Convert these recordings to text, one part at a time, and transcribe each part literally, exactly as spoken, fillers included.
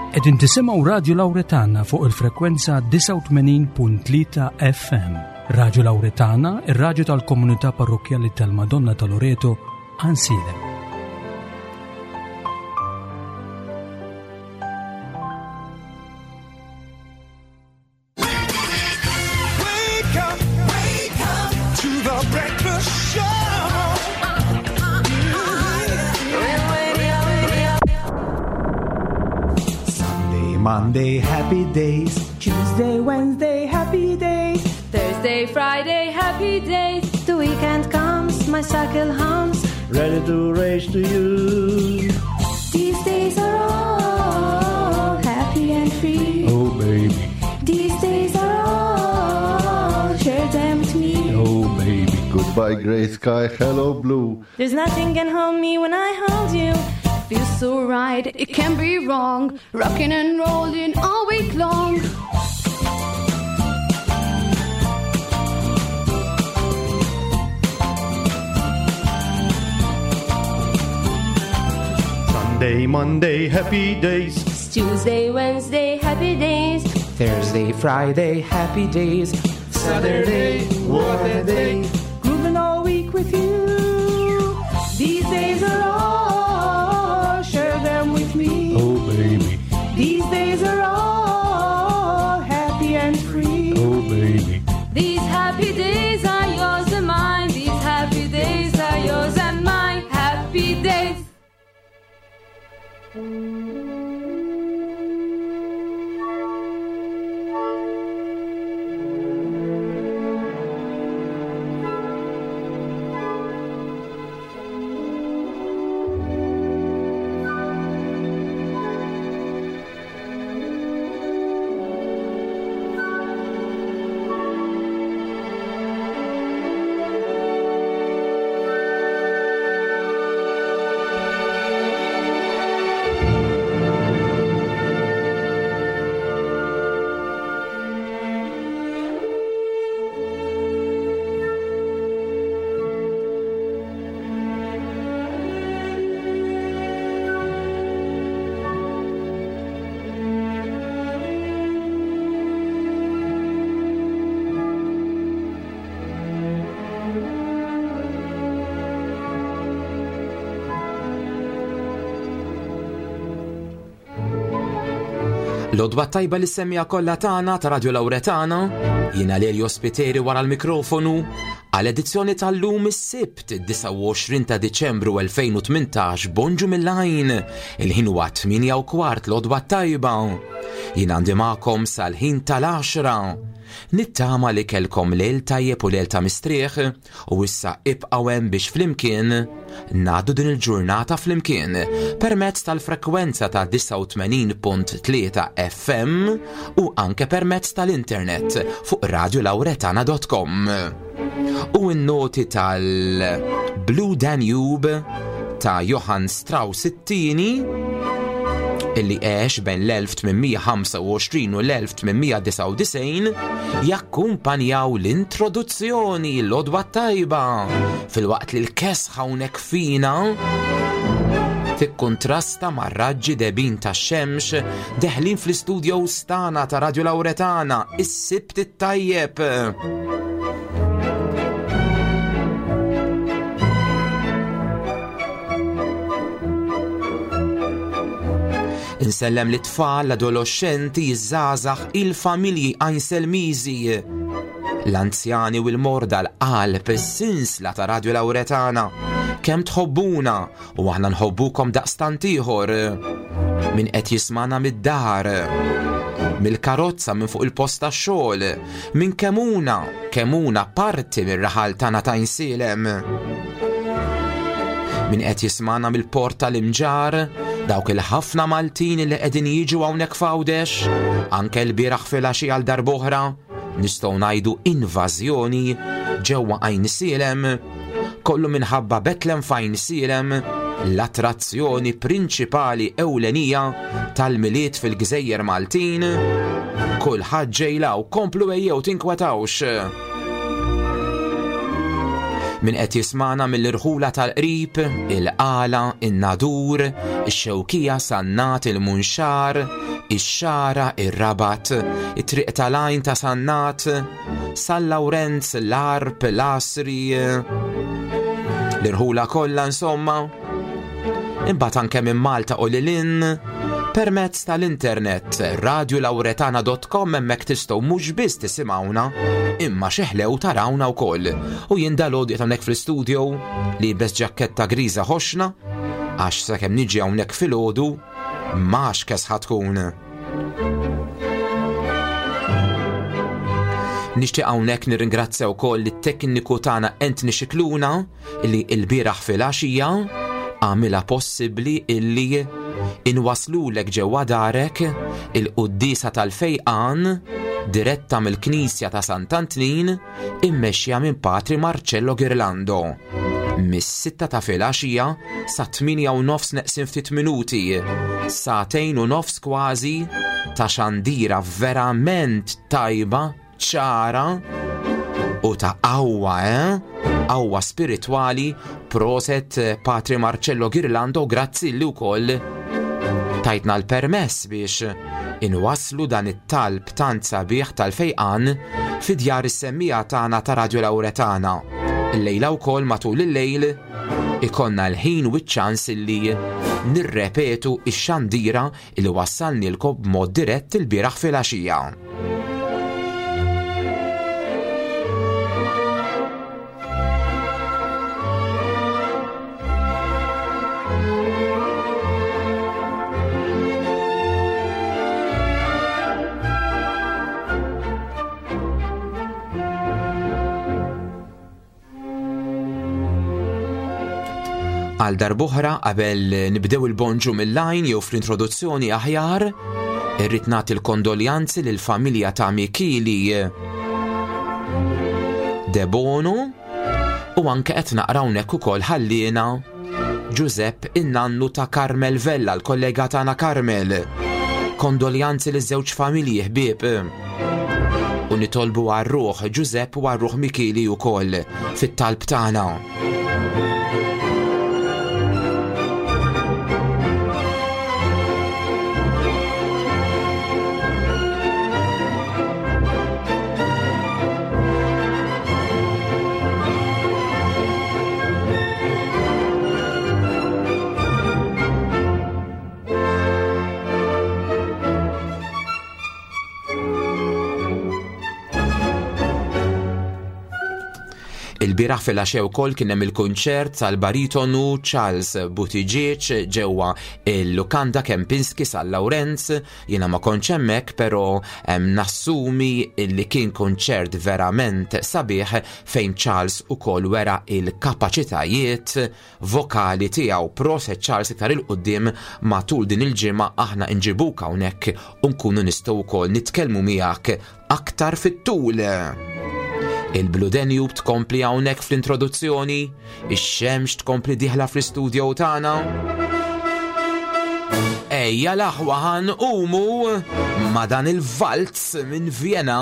Qegħdin tisimgħu Radio Lauretana fuq il-frekwenza disgħa u tmenin punt tlieta F M. Radio Lauretana, ir-radju tal-Komunità Parrokkjali tal-Madonna ta' Loreto, Għajnsielem. Wake up, wake up to the breakfast show. Sunday, Monday, happy days. Tuesday, Wednesday, happy days. Thursday, Friday, happy days. The weekend comes, my cycle hums. Ready to race to you. These days are all happy and free. Oh, baby. These days are all, share them with me. Oh, baby. Goodbye, gray sky, hello, blue. There's nothing can hold me when I hold you. Feels so right, it can't be wrong. Rocking and rolling all week long. Sunday, Monday, happy days. Tuesday, Wednesday, happy days. Thursday, Friday, happy days. Saturday, what a day. Grooving all week with you. These days are all, share them with me. Oh, baby. These days are all happy and free. Oh, baby. These happy days are yours and mine. These happy days are yours and mine. Happy days. L-għodwa t-tajba lis-semmiegħa kollha tagħna ta' Radio Lauretana, jiena Lelio Spiteri wara l-mikrofonu, għal edizzjoni tal-lum is-Sibt disgħa u għoxrin ta' Diċembru elfejn u tmintax, bonġu mill-għajn, il-ħin huwa tmienja u kwart, l-għodwa t-tajba. Jien għandi magħkom sal-ħin tal-għaxra. Nittama li kellkom lejl tajjeb u lejl ta' mistrieħ u issa ibqgħu hemm biex flimkien ngħaddu din il-ġurnata flimkien permezz tal-frekwenza ta' disgħa u tmenin punt tlieta F M u anke permezz tal-internet fuq radiolauretana punt com. U n-noti tal-Blue Danube ta' Johann Strauss it-tieni, illi għex bejn l-elf tmien mija ħamsa u għoxrin u l-elf tmien mija disgħa u disgħin, jakkumpanjaw l-introduzzjoni. L-għodwa t-tajba, filwaqt li l-kesħa hawnhekk fina tikkontrasta mar-raġġi debin tax-xemx deħlin fl-istudio tagħna ta' Radio Lauretana. Is-Sibt it-tajjeb. Insellem lit-tfal, l-adolescenti, iż-żgħażagħ, il-familji Għajnselmiżi, l-anzjani u l-morda, l-qalb, is-sinsla ta' Radio Lauretana. Kemm tħobbuna u aħna nħobbukom daqstant ieħor. Min qed jismana mid-dar, mill-karozza, minn fuq il-post tax-xogħol, minn Kemmuna, Kemmuna parti mir-raħal tagħna ta' Għajnsielem. Min qed jismana mill-port tal-Imġarr, dawk il-ħafna Maltin li qegħdin jiġu hawnhekk f'Għawdex, anke l-bieraħ filgħaxija għal darb'oħra, nistgħu ngħidu invażjoni ġewwa Għajnsielem, kollu minħabba Betlem f'Għajnsielem, l-attrazzjoni prinċipali ewlenija tal-Milied fil-Gżejjer Maltin. Kulħadd ġej 'l hawn, komplu ejjew, tinkwetawx. Min qed jismana mill-irħula tal-qrib, il-Qala, in-Nadur, ix-Xewkija, Sannat, il-Munxar, ix-Xagħra, ir-Rabat, it-Triq tal-Għajn ta' Sannat, San Lawrenz, l-Għarb, l-Għasri, l-irħula kollha insomma. Imbagħad anke minn Malta u lil hinn permezz tal-internet radio lauretana dot com, hemmhekk tistgħu mhux biss tisimgħuna imma xi ħlew tarawna wkoll. U jien dalgħodu qed hawnhekk fl-istudio liebes ġaketta griża ħoxna għax sakemm niġi hawnhekk filgħodu max kesħa tkun. Nixtieq hawnhekk nirringrazzja wkoll lit-tekniku tagħna Anthony Scicluna li l-bieraħ filgħaxija għamilha possibbli illi inwaslulek ġewwa darek il-quddiesa tal-fejqan diretta mill-Knisja ta' Sant'Antnin immexxija minn Patri Marcello Ghirlando. Mis-sitta ta' filgħaxija sa tmienja u nofs neqsin ftit minuti, sagħtejn u nofs kważi ta' xandira verament tajba, ċara u ta' qawwa, eh? Qawwa spiritwali. Proset Patri Marcello Ghirlando, grazzi li wkoll tajtna l-permess biex inwasslu dan it-talb tant sabiħ tal-fejqan fi djar is-semmija tagħna ta' Radio Lauretana. Illejla wkoll matul il-lejl ikonna l-ħin u ċ-ċans illi nirrepetu x-xandira illi wassalnilkom b'mod dirett il-bieraħ filgħaxija. Għal darb'oħra qabel nibdew il-bonġu mill-lajn jew fl-introduzzjoni aħjar, irrid nagħti l-kondoljanzi lill-familja ta' Micheli Debono u anke qed naqra hawnhekk ukoll ħalliena Giuseppe in-nannu ta' Carmel Vella, l-kollega tagħna Carmel. Kondoljanzi liż-żewġ familji ħbieb. U nitolbu għar-ruħ Giuseppe u għar-ruħ Micheli wkoll fit-talb tagħna. Il-bieraħ filgħaxija wkoll kien hemm il-kunċert tal-baritonu Charles Buttigieg ġewwa il-Lukanda Kempinski San Lawrenz. Jiena ma kontx hemmhekk, però nassumi li kien kunċert verament sabiħ fejn Charles ukoll wera il-kapaċitajiet vokali tiegħu. Proset Charles, iktar il-qudiem matul din il-ġimgħa aħna nġibuk hawnhekk u nkunu nistgħu wkoll nitkellmu miegħek aktar fit-tul. Il-Blue Danube tkompli hawnhekk fl-introduzzjoni, ix-xemx tkompli dieħla fl-istudio tagħna. Ejja l-aħwa ħanqumu ma' dan il-valz minn Vienna.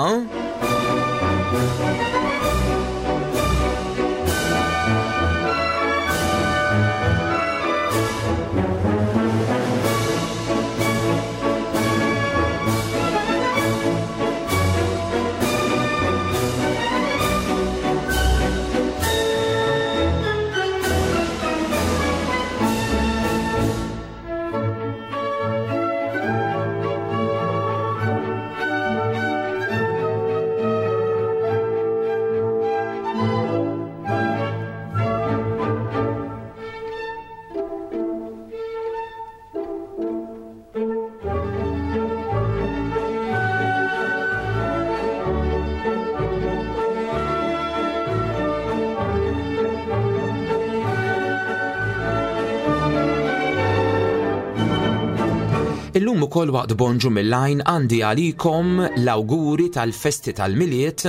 Illum ukoll waqt bonġu mill-lajn għandi għalikom l-awguri tal-festi tal-Milied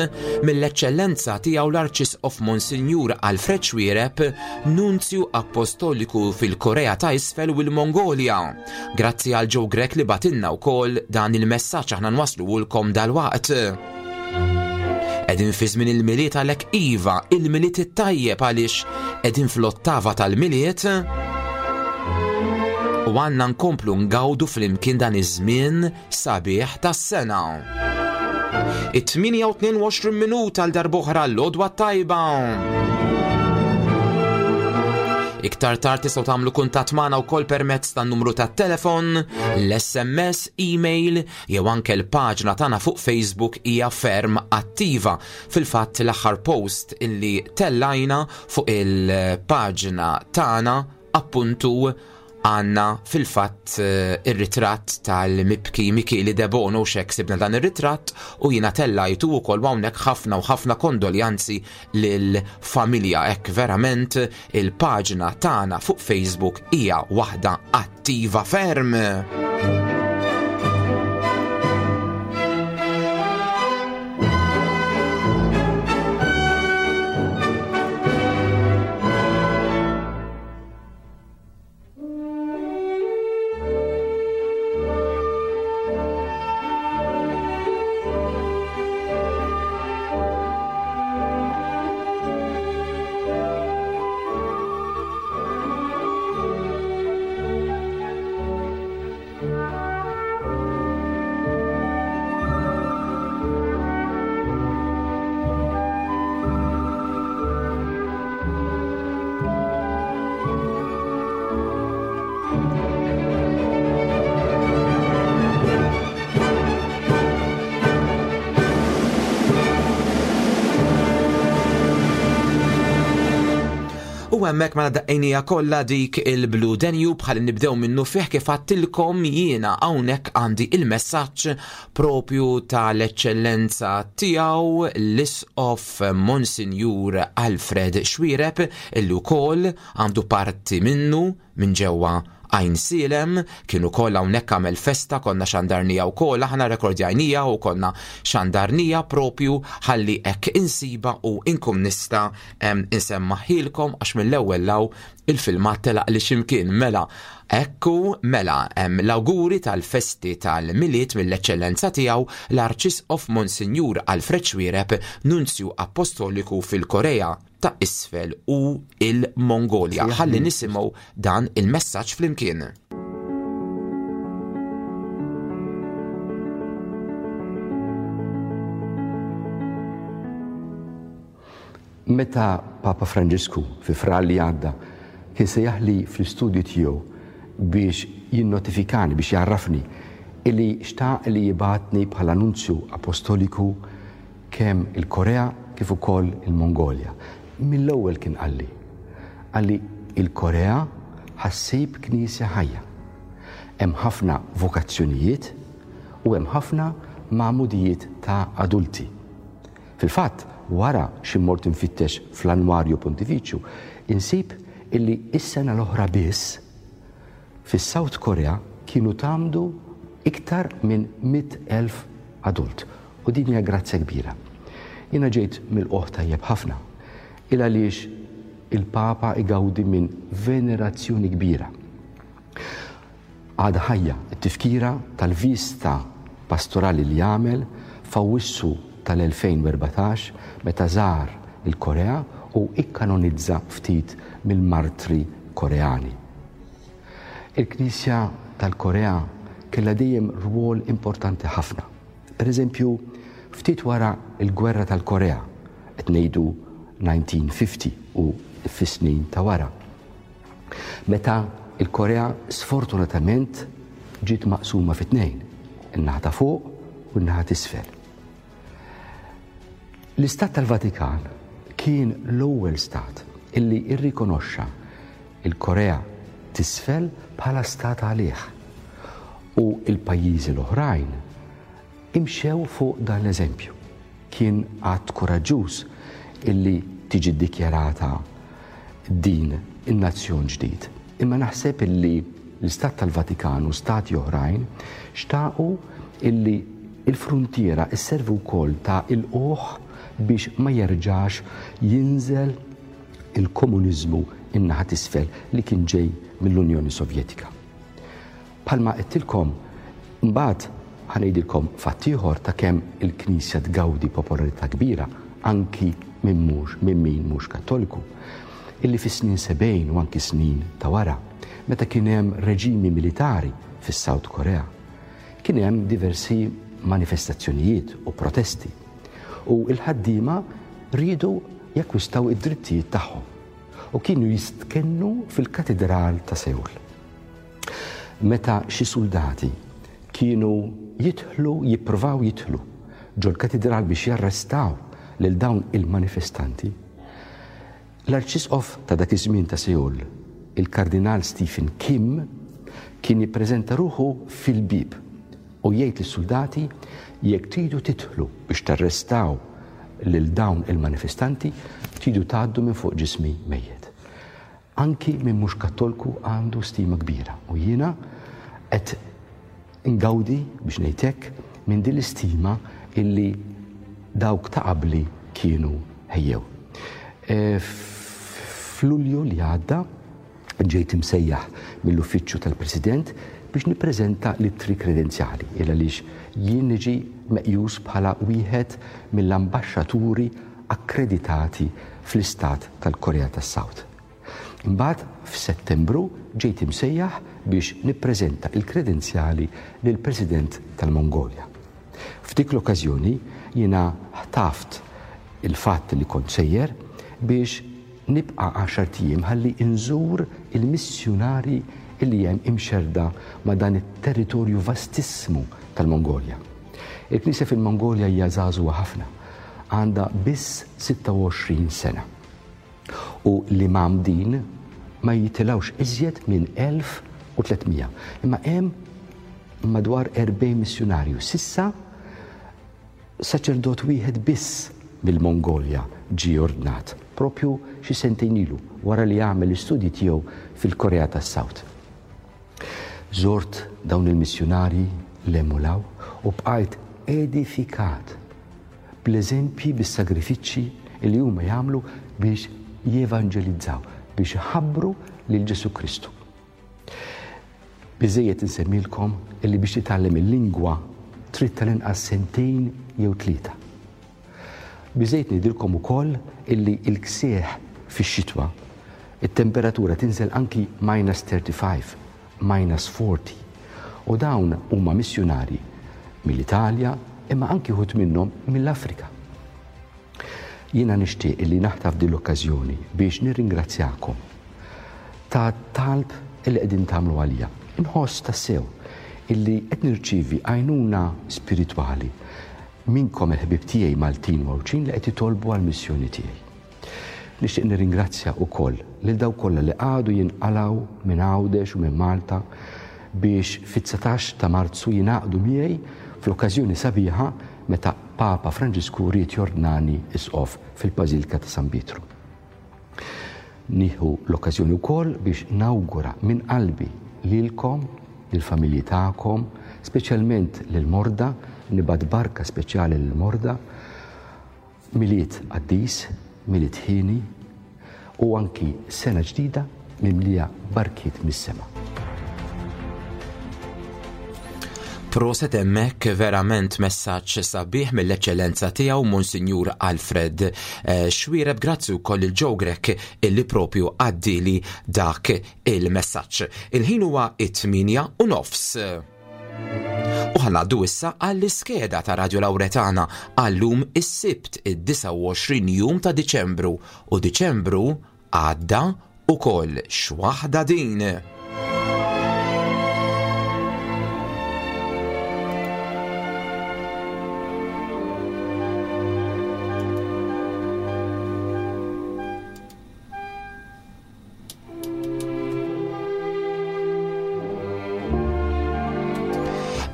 mill-Eċċellenza tiegħu l-Arċisqof Monsinjur Alfred Xuereb, Nunzju Apostoliku fil-Korea ta' Isfel u l-Mongolja. Grazzi għal Joe Grech li batinna wkoll dan il-messaġġ aħna nwaslulkom dalwaqt. Qegħdin fi żmien il-Milied għalhekk iva, il-Milied it-tajjeb għaliex qegħdin fl-ottava tal-Milied. U għandna nkomplu ngawdu flimkien dan iż-żmien sabiħ tas-sena. It-tmienja u tnejn u għoxrin minuta għal darb'oħra l-għodwa tajba. Iktar tard tistgħu tagħmlu kuntatt magħna wkoll permezz tan-numru tat-telefon, l-S M S, email jew anke l-paġna tagħna fuq Facebook hija ferm attiva. Fil-fatt l-aħħar post illi tellajna fuq il-paġna tagħna appuntu għanna fil-fatt, eh, ir-ritratt tal-mibki Michele Debono, xek sibna dan ir-ritratt u jiena tellajtu wkoll hawnhekk ħafna u ħafna kondoljanzi lill-familja. Hekk verament il-paġna tagħna fuq Facebook hija waħda attiva ferm. U hemmhekk mela daqqejnija kollha dik il-Blue Danube bħal nibdew minnu fih kif għattilkom jiena hawnhekk għandi il-messaġġ propju tal-eċċellenza tiegħu l-Isqof Monsinjur Alfred Xuereb illi wkoll għandu parti minnu minn ġewwa Għajnsielem, kien ukoll hawnhekk għamel festa, konna xandarnija wkoll, aħna rekordjajnija u konna xandarnija propju ħalli hekk insiba u inkum nista', em, insemmaħilkom għax mill-ewwel law il-filmat telaq li ximkien. Mela, ekku, mela, em, l-awguri tal-festi tal-Milied mill-eċċellenza tiegħu l-Arċisqof Monsinjur Alfred Xuereb, Nunzju Apostoliku fil-Korea ta' Isfel u il-Mongolja. Sejjaħ Ħalli li. nisimgħu dan il-messaġġ flimkien. Meta Papa Franġisku fi Frar li għadda kien sejjaħli fl-istudju tiegħu biex jinnotifikani, biex jarrafni illi xtaq li jibatni bħala nunzju apostoliku kemm il-Korea kif ukoll il-Mongolja. Mill-ewwel kien qalli, qalli il-Korea ħassib knisja ħajja. Hemm ħafna vokazzjonijiet u hemm ħafna magħmudijiet ta' adulti. Fil-fatt, wara xi mort infittex fl-Annwarju Pontifiċju, insib illi is-sena l-oħra biss fis-South Korea kienu tgħammdu iktar minn mitt elf adult. U din hija grazzja kbira. Jiena ġejt mill-qoħ tajjeb ħafna, il għaliex il-Papa igawdi minn venerazzjoni kbira. Għadha ħajja t-tifkira tal-vista pastorali li għamel f'Awwissu tal-elfejn u erbatax meta żar il-Korea u ikkanonizza ftit mill-martri Koreani. Il-Knisja tal-Korea kellha dejjem rwol importanti ħafna. Per eżempju, ftit wara l-Gwerra tal-Korea, qed ngħidu nineteen fifty u fis-snin ta' wara. Meta il-Korea sfortunatament ġiet maqsuma fi tnejn, in-naħa ta' fuq u n-naħa t'isfel. L-Istat tal-Vatikan kien l-ewwel stat illi rrikonoxxa il-Korea t'isfel bħala stat għalih u l-pajjiżi l-oħrajn imxew fuq dan l-eżempju. Kien att kuraġġuż illi tiġi ddikjarata din in-nazzjon ġdid. Imma naħseb illi l-Istat tal-Vatikan u stati oħrajn xtaqu illi il-frontiera isservu wkoll ta' il-qoħ biex ma jerġax jinżel il-komuniżmu in-naħa t'isfel li kien ġej mill-Unjoni Sovjetika. Palma qedtilkom, mbagħad ħanejdilkom fatt ieħor ta' kemm il-Knisja tgawdi popolarità kbira anki minn mhux, minn min mhux Kattoliku, illi fis-snin sebgħin u anki snin ta' wara, meta kien hemm reġimi militari fis-South Korea, kien hemm diversi manifestazzjonijiet u protesti u l-ħaddiema riedu jakkwistaw id-drittijiet tagħhom u kienu jistkennu fil-katedral ta' Seul. Meta xi soldati kienu jidħlu, jippruvaw jidħlu ġol-katedral biex jarrestaw lil dawn il-manifestanti, l-arċisqof ta' dak iż-żmien ta' Seul, il-Kardinal Stephen Kim, kien jippreżenta ruħu fil-bib u jgħid lis-soldati jekk tridu tidħlu biex tarrestaw lil dawn il-manifestanti, tridu tgħaddu minn fuq ġismi mejjet. Anki minn mhux Kattolku għandu stima kbira u jiena qed ngawdi biex ngħid hekk minn din l-istima illi dawk ta' qabli kienu ħejjew. E, F'Lulju li għadda ġejt imsejjaħ mill-uffiċċju tal-President biex nippreżenta l-ittri kredenzjali, il għaliex jien niġi meqjus bħala wieħed mill-ambaxxaturi akkreditati fl-istat tal-Korea tas-South. Imbagħad f'Settembru ġejt imsejjaħ biex nippreżenta il-kredenzjali lill-President tal-Mongolja. F'dik l-okkażjoni jiena ħtaft il-fatt li kont sejjer biex nibqa' għaxart ijiem ħalli nżur il-missjunari illi hemm imxerda ma' dan it-territorju vastissimu tal-Mongolja. Il-Knisja fil-Mongolja hija żagħżugħa ħafna, għandha biss sitta u għoxrin sena. U l-imam din ma jitilgħux iżjed minn elf u tliet mija. Imma hemm madwar erbgħin missjunarju. Sissa saċerdot wieħed biss mill-Mongolja ġie ordnat, propju xi sentejn ilu wara li għamel l-istudji tiegħu fil-Korea tas-South. Żort dawn il-missjunarji l-emulaw u bqajt edifikat bl-eżempji, bis-sagrifiċċji li huma jagħmlu biex jevanġelizzaw, biex iħabbru lil Ġesu Kristu. Biżejjed insemmilkom illi biex titgħallem il-lingwa trid tal-inqas sentejn jew tlieta. Biżejjed ngħidilkom ukoll illi l-ksieħ fix-xitwa, it-temperatura tinżel anki minus thirty-five, minus forty. U dawn huma missjunari mill-Italja imma anki wħud minnhom mill-Afrika. Jiena nixtieq illi naħtaf din l-okkażjoni biex nirringrazzjakom ta' talb illi qegħdin tagħmlu għalija. Inħoss tassew illi qed nirċievi għajnuna spiritwali minnkom il-ħbieb tiegħi Maltin u Għawdxin li qed jitolbu għall-missjoni tiegħi. Nixtieq nirringrazzja wkoll lil dawk kollha li għadu jinqalgħu minn Għawdex u minn Malta biex fit-dsatax ta' Marzu jingħaqdu miegħi fl-okkażjoni sabiħa meta Papa Franġisku ried jordnani isqof fil-Bażilika ta' San Pietru. Nieħu l-okkażjoni wkoll biex nawgura minn qalbi lilkom, lill-familji tagħkom, speċjalment lill-morda, nibgħat barka speċjali lill-morda, Milied qaddis, Milied ħieni u anki sena ġdida mimlija barkiet mis-sema. Proset hemmhekk, verament messaġġ sabiħ mill-eċċellenza tiegħu Monsinjur Alfred, eh, Xuereb. Grazzi wkoll il Joe Grech illi propju għaddili dak il-messaġġ. Il-ħin huwa it-tmienja u nofs. U ħa ngħaddu issa għall-iskeda ta' Radio Lauretana għallum is-Sibt id-disgħa u għoxrin jum ta' Diċembru, u Diċembru għadda ukoll x'waħda din.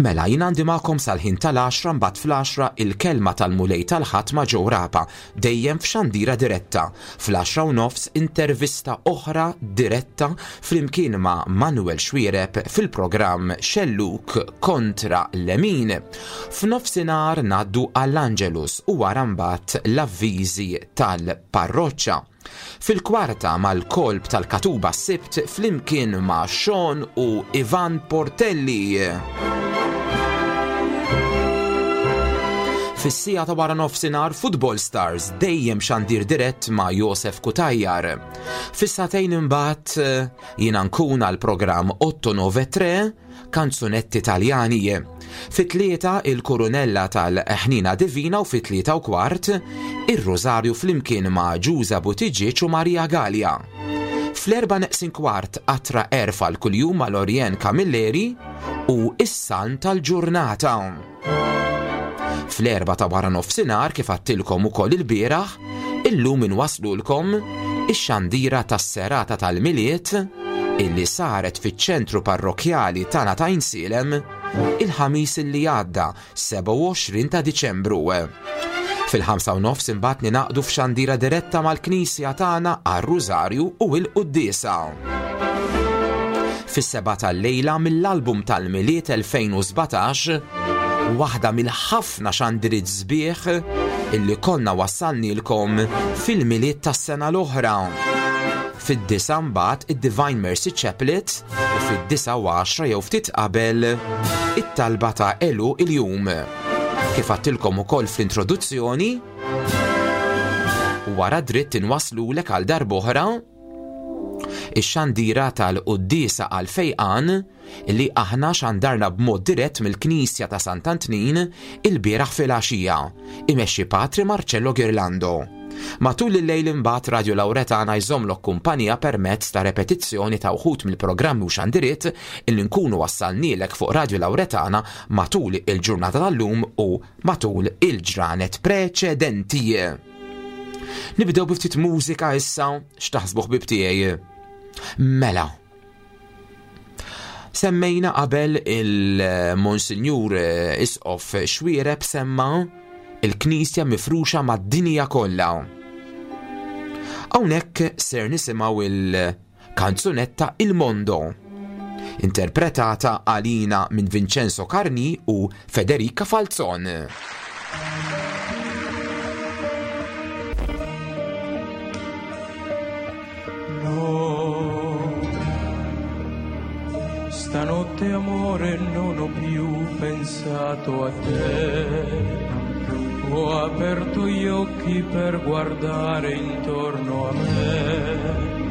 Mela, jien għandi magħkom sal-ħin tal-għaxra, mbagħad fl-għaxra il-kelma tal-Mulej tal-Ħadd ma' Joe Rapa, dejjem f'xandira diretta. Fl-għaxra u nofs intervista oħra diretta flimkien ma' Manuel Xuereb fil-programm Xelluk kontra Lemin. F'nofsinhar ngħaddu għall-Angelus u wara mbagħad l-avviżi tal-parroċċa. Fil-kwarta mal-kolb tal-Katuba Sibt flimkien ma' Sean u Ivan Portelli. Fis-siegħa ta' wara nofsinhar Football Stars dejjem xandir dirett ma' Josef Cutajar. Fis-sagħtejn imbagħad eh, jiena nkun għal programm otto nove tre kanzunetti Taljani. Fit-tlieta il-Kurunella tal-Ħnina Divina u fit-tlieta u kwart ir-Rosario flimkien ma' Ġuża Buttigieg u Maria Gallia. Fl-erba neqsin kwart qatra għerf għal kuljum ma' Lorien Camilleri u is-salm tal-ġurnata. Fl-erba ta' wara nofsinhar, kif għedtilkom ukoll il-bieraħ, illum inwaslulkom ix-xandira tas-serata tal-Milied illi saret fiċ-ċentru parrokjali tagħna ta' Għajnsielem il-Ħamis illi għadda, sebgħa u għoxrin ta' Diċembru. Fil-ħamsa u nofs imbagħad ninaqdu f'xandira diretta mal-Knisja tagħna għar-Rużarju u l-Quddiesa. Fis-sebgħa tal-lejla, mill-album tal-Milied elfejn u sbatax, waħda mill-ħafna xandiriet sbieħ illi konna wassalnilkom fil-Milied tas-sena l-oħra. Fid-disgħa mbagħad id-Divine Mercy Chaplet u fid-disgħa u għaxra jew ftit qabel it-talba ta' għeluq il-jum. Kif għedtilkom ukoll fl-introduzzjoni, wara dritt inwaslulek għal darb'oħra ix-xandira tal-quddiesa għal fejqan li aħna xandarna b'mod dirett mill-Knisja ta' Sant'Antnin il-bieraħ fil-għaxija, imexxi Patri Marcello Girlando. Matul il-lejl imbagħad Radio Lauretana jżommlok kumpanija permezz ta' repetizzjoni ta' uħud mill-programmi u xandiriet illi nkunu wassalnilek fuq Radio Lauretana matul il-ġurnata tal-lum u matul il-ġranet preċedenti. Nibdew bi ftit mużika issa, x'taħsbu, ħbieb tiegħi? Mela. Semmejna qabel il-Monsinjur Isqof Xuereb semma il-Knisja mifruxa mad-dinja kollha. Hawnhekk ser nisimgħu il-kanzunetta Il Mondo, interpretata għalina minn Vincenzo Carni u Federica Falzon. No, stanotte, amore, non ho più pensato a te. Ho aperto gli occhi per guardare intorno a me.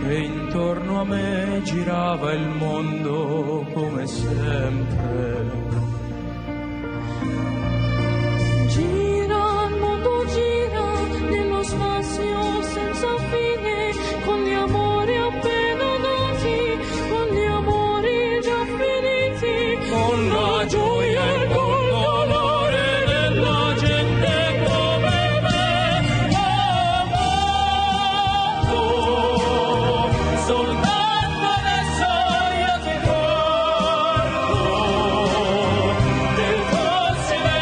E intorno a me girava il mondo come sempre. Gira il mondo, gira nello spazio senza fine, con gli amori appena nati, con gli amori già finiti, con la gioia e col dolore della gente come me. Oh mondo, soltanto adesso io ti guardo, del tuo silenzio.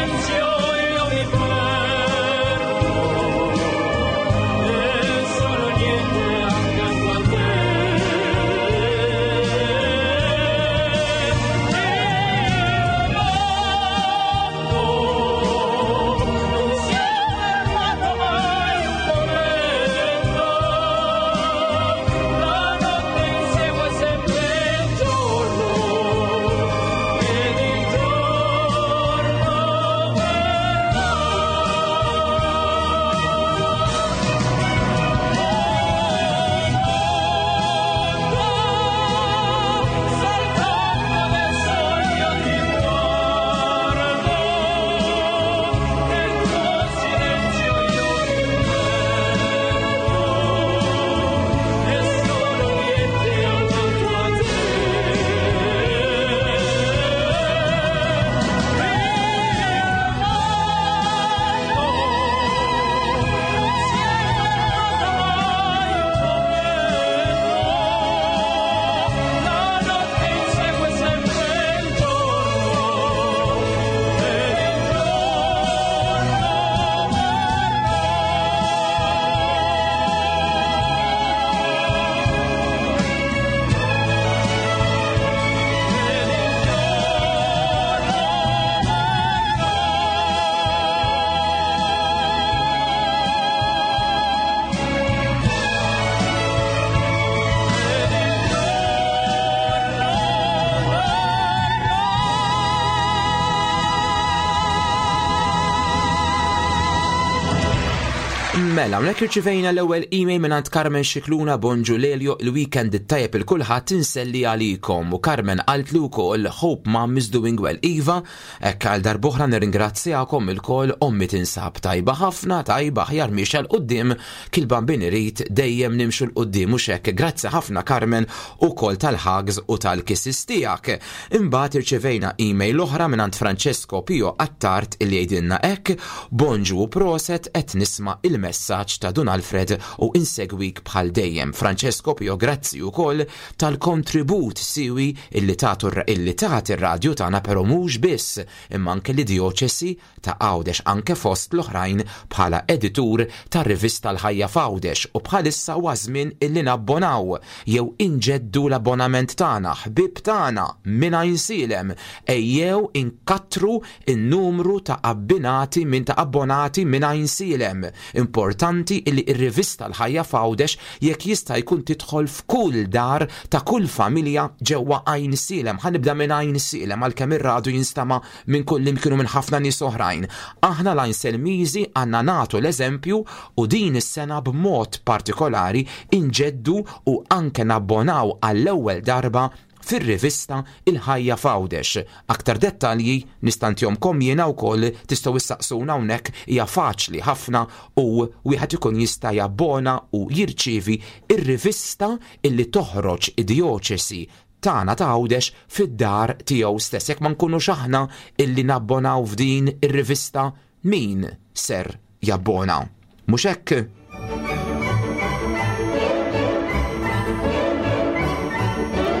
Mela, hawnhekk irċivejna l-ewwel email mingħand Carmen Xikluna bonġu Lelio il-weekend it-tajjeb il kulħadd inselli għalikom u Carmen qaltli wkoll hope mom is doing well. Iva, hekk għal darb'oħra nirringrazzjakom ilkoll ommi tinsab tajba ħafna, tajba aħjar miexa 'l quddiem kil-bambin irid dejjem nimxu 'l quddiem u xek. Grazzi ħafna Carmen ukoll tal-hugs u tal-kisses tiegħek. Imbagħad irċivejna email oħra mingħand Francesco Pio Attard illi jgħidilna hekk bonġu u proset qed nisma' il-messaġġ ta' Dun Alfred u insegwik bħal dejjem. Francesco Pio, grazzi wkoll tal-kontribut siwi illi tagħtu illi tagħti ir-radju tagħna però mhux biss imma anke li djoċesi ta' Għawdex anke fost l-oħrajn bħala editur tar-rivista l-Ħajja f'Għawdex u bħalissa huwa żmien illi nabbonaw jew inġeddu l-abbonament tagħna, ħbib tagħna minn Għajnsielem ejjew inkattru in-numru ta' abbinati minn ta' abbonati minn Għajnsielem. Importanti illi ir-rivista l-Ħajja f'Għawdex jekk jista' jkun tidħol f'kull dar ta' kull familja ġewwa Għajnsielem. Ħa nibda minn Għajnsielem għalkemm ir-radju jinstama' minn kull imkienu minn ħafna nies oħrajn. Aħna l-Għajnselmiżi għandna nagħtu l-eżempju u din is-sena b'mod partikolari inġeddu u anke nabbonaw għall-ewwel darba fir-rivista Il-Ħajja f'Għawdex. Aktar dettalji nista' ntihomlkom jiena wkoll tistgħu issaqsuna hawnhekk hija faċli ħafna u wieħed ikun jista' jabbona u jirċievi ir-rivista illi toħroġ id-djoċesi tagħna ta' Għawdex fid-dar tiegħu stess. Jekk ma nkunux aħna illi nabbonaw f'din ir-rivista, min ser jabbona? Mhux hekk?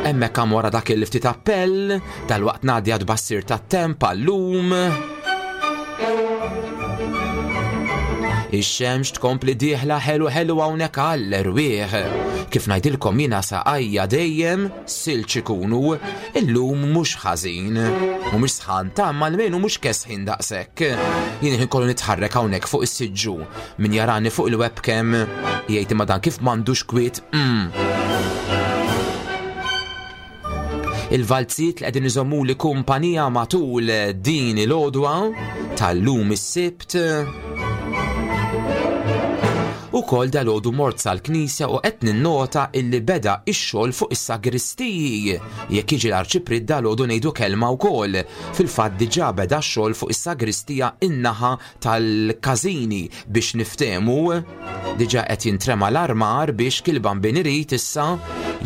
Hemmhekk hemm wara dak il-ftit appell, dal-waqt ngħaddi għat-tbassir tat-temp għallum. Ix-xemx tkompli dieħla ħelu ħelu hawnhekk għall-erwieħ. Kif ngħidilkom jiena saqajja dejjem silġ ikunu, illum mhux ħażin. Mhumiex sħan ta' ma almenu mhux kesħin daqshekk. Jien ħin kollu nitħarrek hawnhekk fuq is-siġġu. Min jarani fuq il-webcam jgħid imma dan kif m'għandux kwiet. Mm. Il-valzijiet li qegħdin iżommu li kumpanija matul din il-għodwa tal-lum is-Sibt. Ukoll dal-għodu mort sal-knisja u qed ninnota illi beda ix-xogħol fuq is-sagristiji. Jekk jiġi l-arċipriet dal-għodu ngħidu kelma wkoll. Fil-fatt diġà beda x-xogħol fuq is-sagristija in-naħa tal-każini biex niftehmu. Diġà qed jintrema l-armar biex kil-bambin irid issa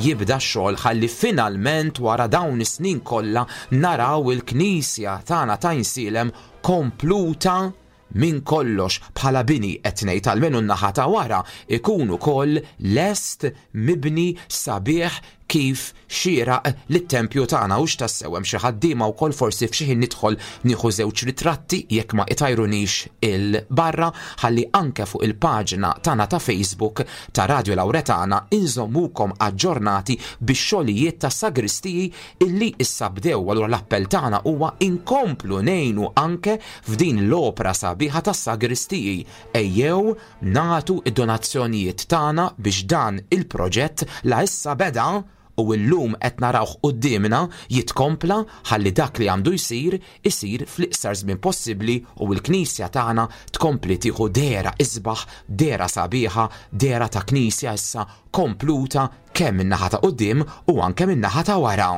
jibda x-xogħol ħalli finalment wara dawn is-snin kollha naraw il-knisja tagħna ta' Għajnsielem kompluta minn kollox bħala bini qed ngħid almenu n-naħa ta' wara ikun ukoll lest mibni sabiħ kif xieraq lit-tempju tagħna u x'tassew hemm xi ħaddiema wkoll forsi f'xi ħin nidħol nieħu żewġ ritratti jekk ma itajrunix il-barra ħalli anke fuq il-paġna tagħna ta' Facebook ta' Radio Lauretana inżommukom aġġornati bix-xogħlijiet ta' sagristiji illi issa bdew. Allura l-appell tagħna huwa inkomplu ngħinu anke f'din l-opra sabiħa tas sagristiji. Ejjew nagħtu id-donazzjonijiet tagħna biex dan il-proġett la issa beda u llum qed narawh quddiemna jitkompla ħalli dak li għandu jsir isir fl-iqsar żmien possibbli u l-knisja tagħna tkompli tieħu dehra isbaħ, dehra sabiħa, dehra ta' knisja issa kompluta kemm min-naħa ta' quddiem u anke min-naħa ta' wara.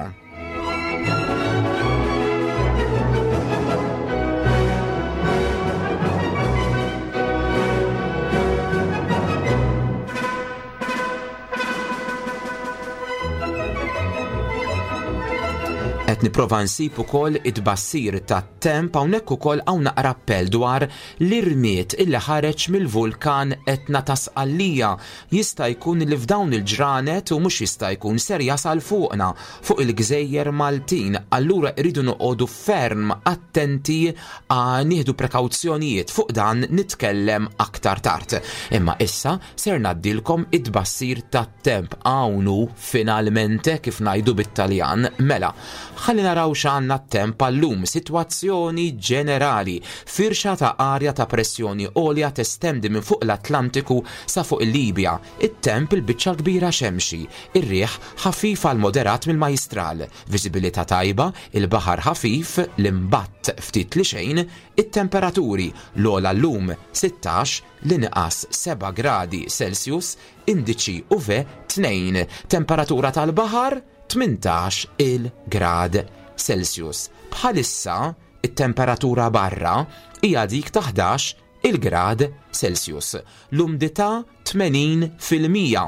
Qed nipprova nsib ukoll it-tbassir tat-temp hawnhekk ukoll hawn naqra appell dwar l-irmied illi ħareġ mill-vulkan Etna ta' Sqallija. Jista' jkun li f'dawn il-ġranet u mhux jista' jkun ser jasal fuqna fuq il-gżejjer Maltin. Allura rridu noqogħdu ferm attenti għal nieħdu prekawzjonijiet fuq dan nitkellem aktar tard. Imma issa ser ngħaddilkom it-tbassir tat-temp hawn hu finalmente kif ngħidu bit-Taljan. Mela, Ħalli naraw x'għandna t-temp għallum, sitwazzjoni ġenerali, firxa ta' arja ta' pressjoni għolja testendi minn fuq l-Atlantiku sa fuq il-Libja. It-temp il-biċċa kbira xemxi, ir-riħ ħafif għal moderat mill-Majstral, viżibilità tajba, il-baħar ħafif, l-imbatt ftit li xejn, it-temperaturi l-ogħla llum sittax, l-inqas seba' gradi Celsius, indiċi U V tnejn, temperatura tal-baħar tmintax il-grad Celsius. Bħalissa it-temperatura barra hija dik ta' ħdax il-grad Celsius. L-umdità tmenin fil-mija.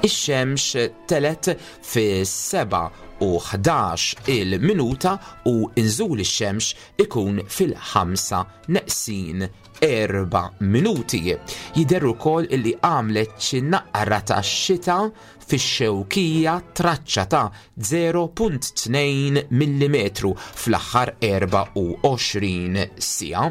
Ix-xemx telet fi seba' u ħdax il-minuta u inżul ix-xemx ikun fil-ħamsa neqsin erba' minuti. Jidher ukoll illi għamlet xi naqra ta' xita fix-Xewkija traċċa ta' zero punt tnejn millimetru fl-aħħar erba' u għoxrin siegħa.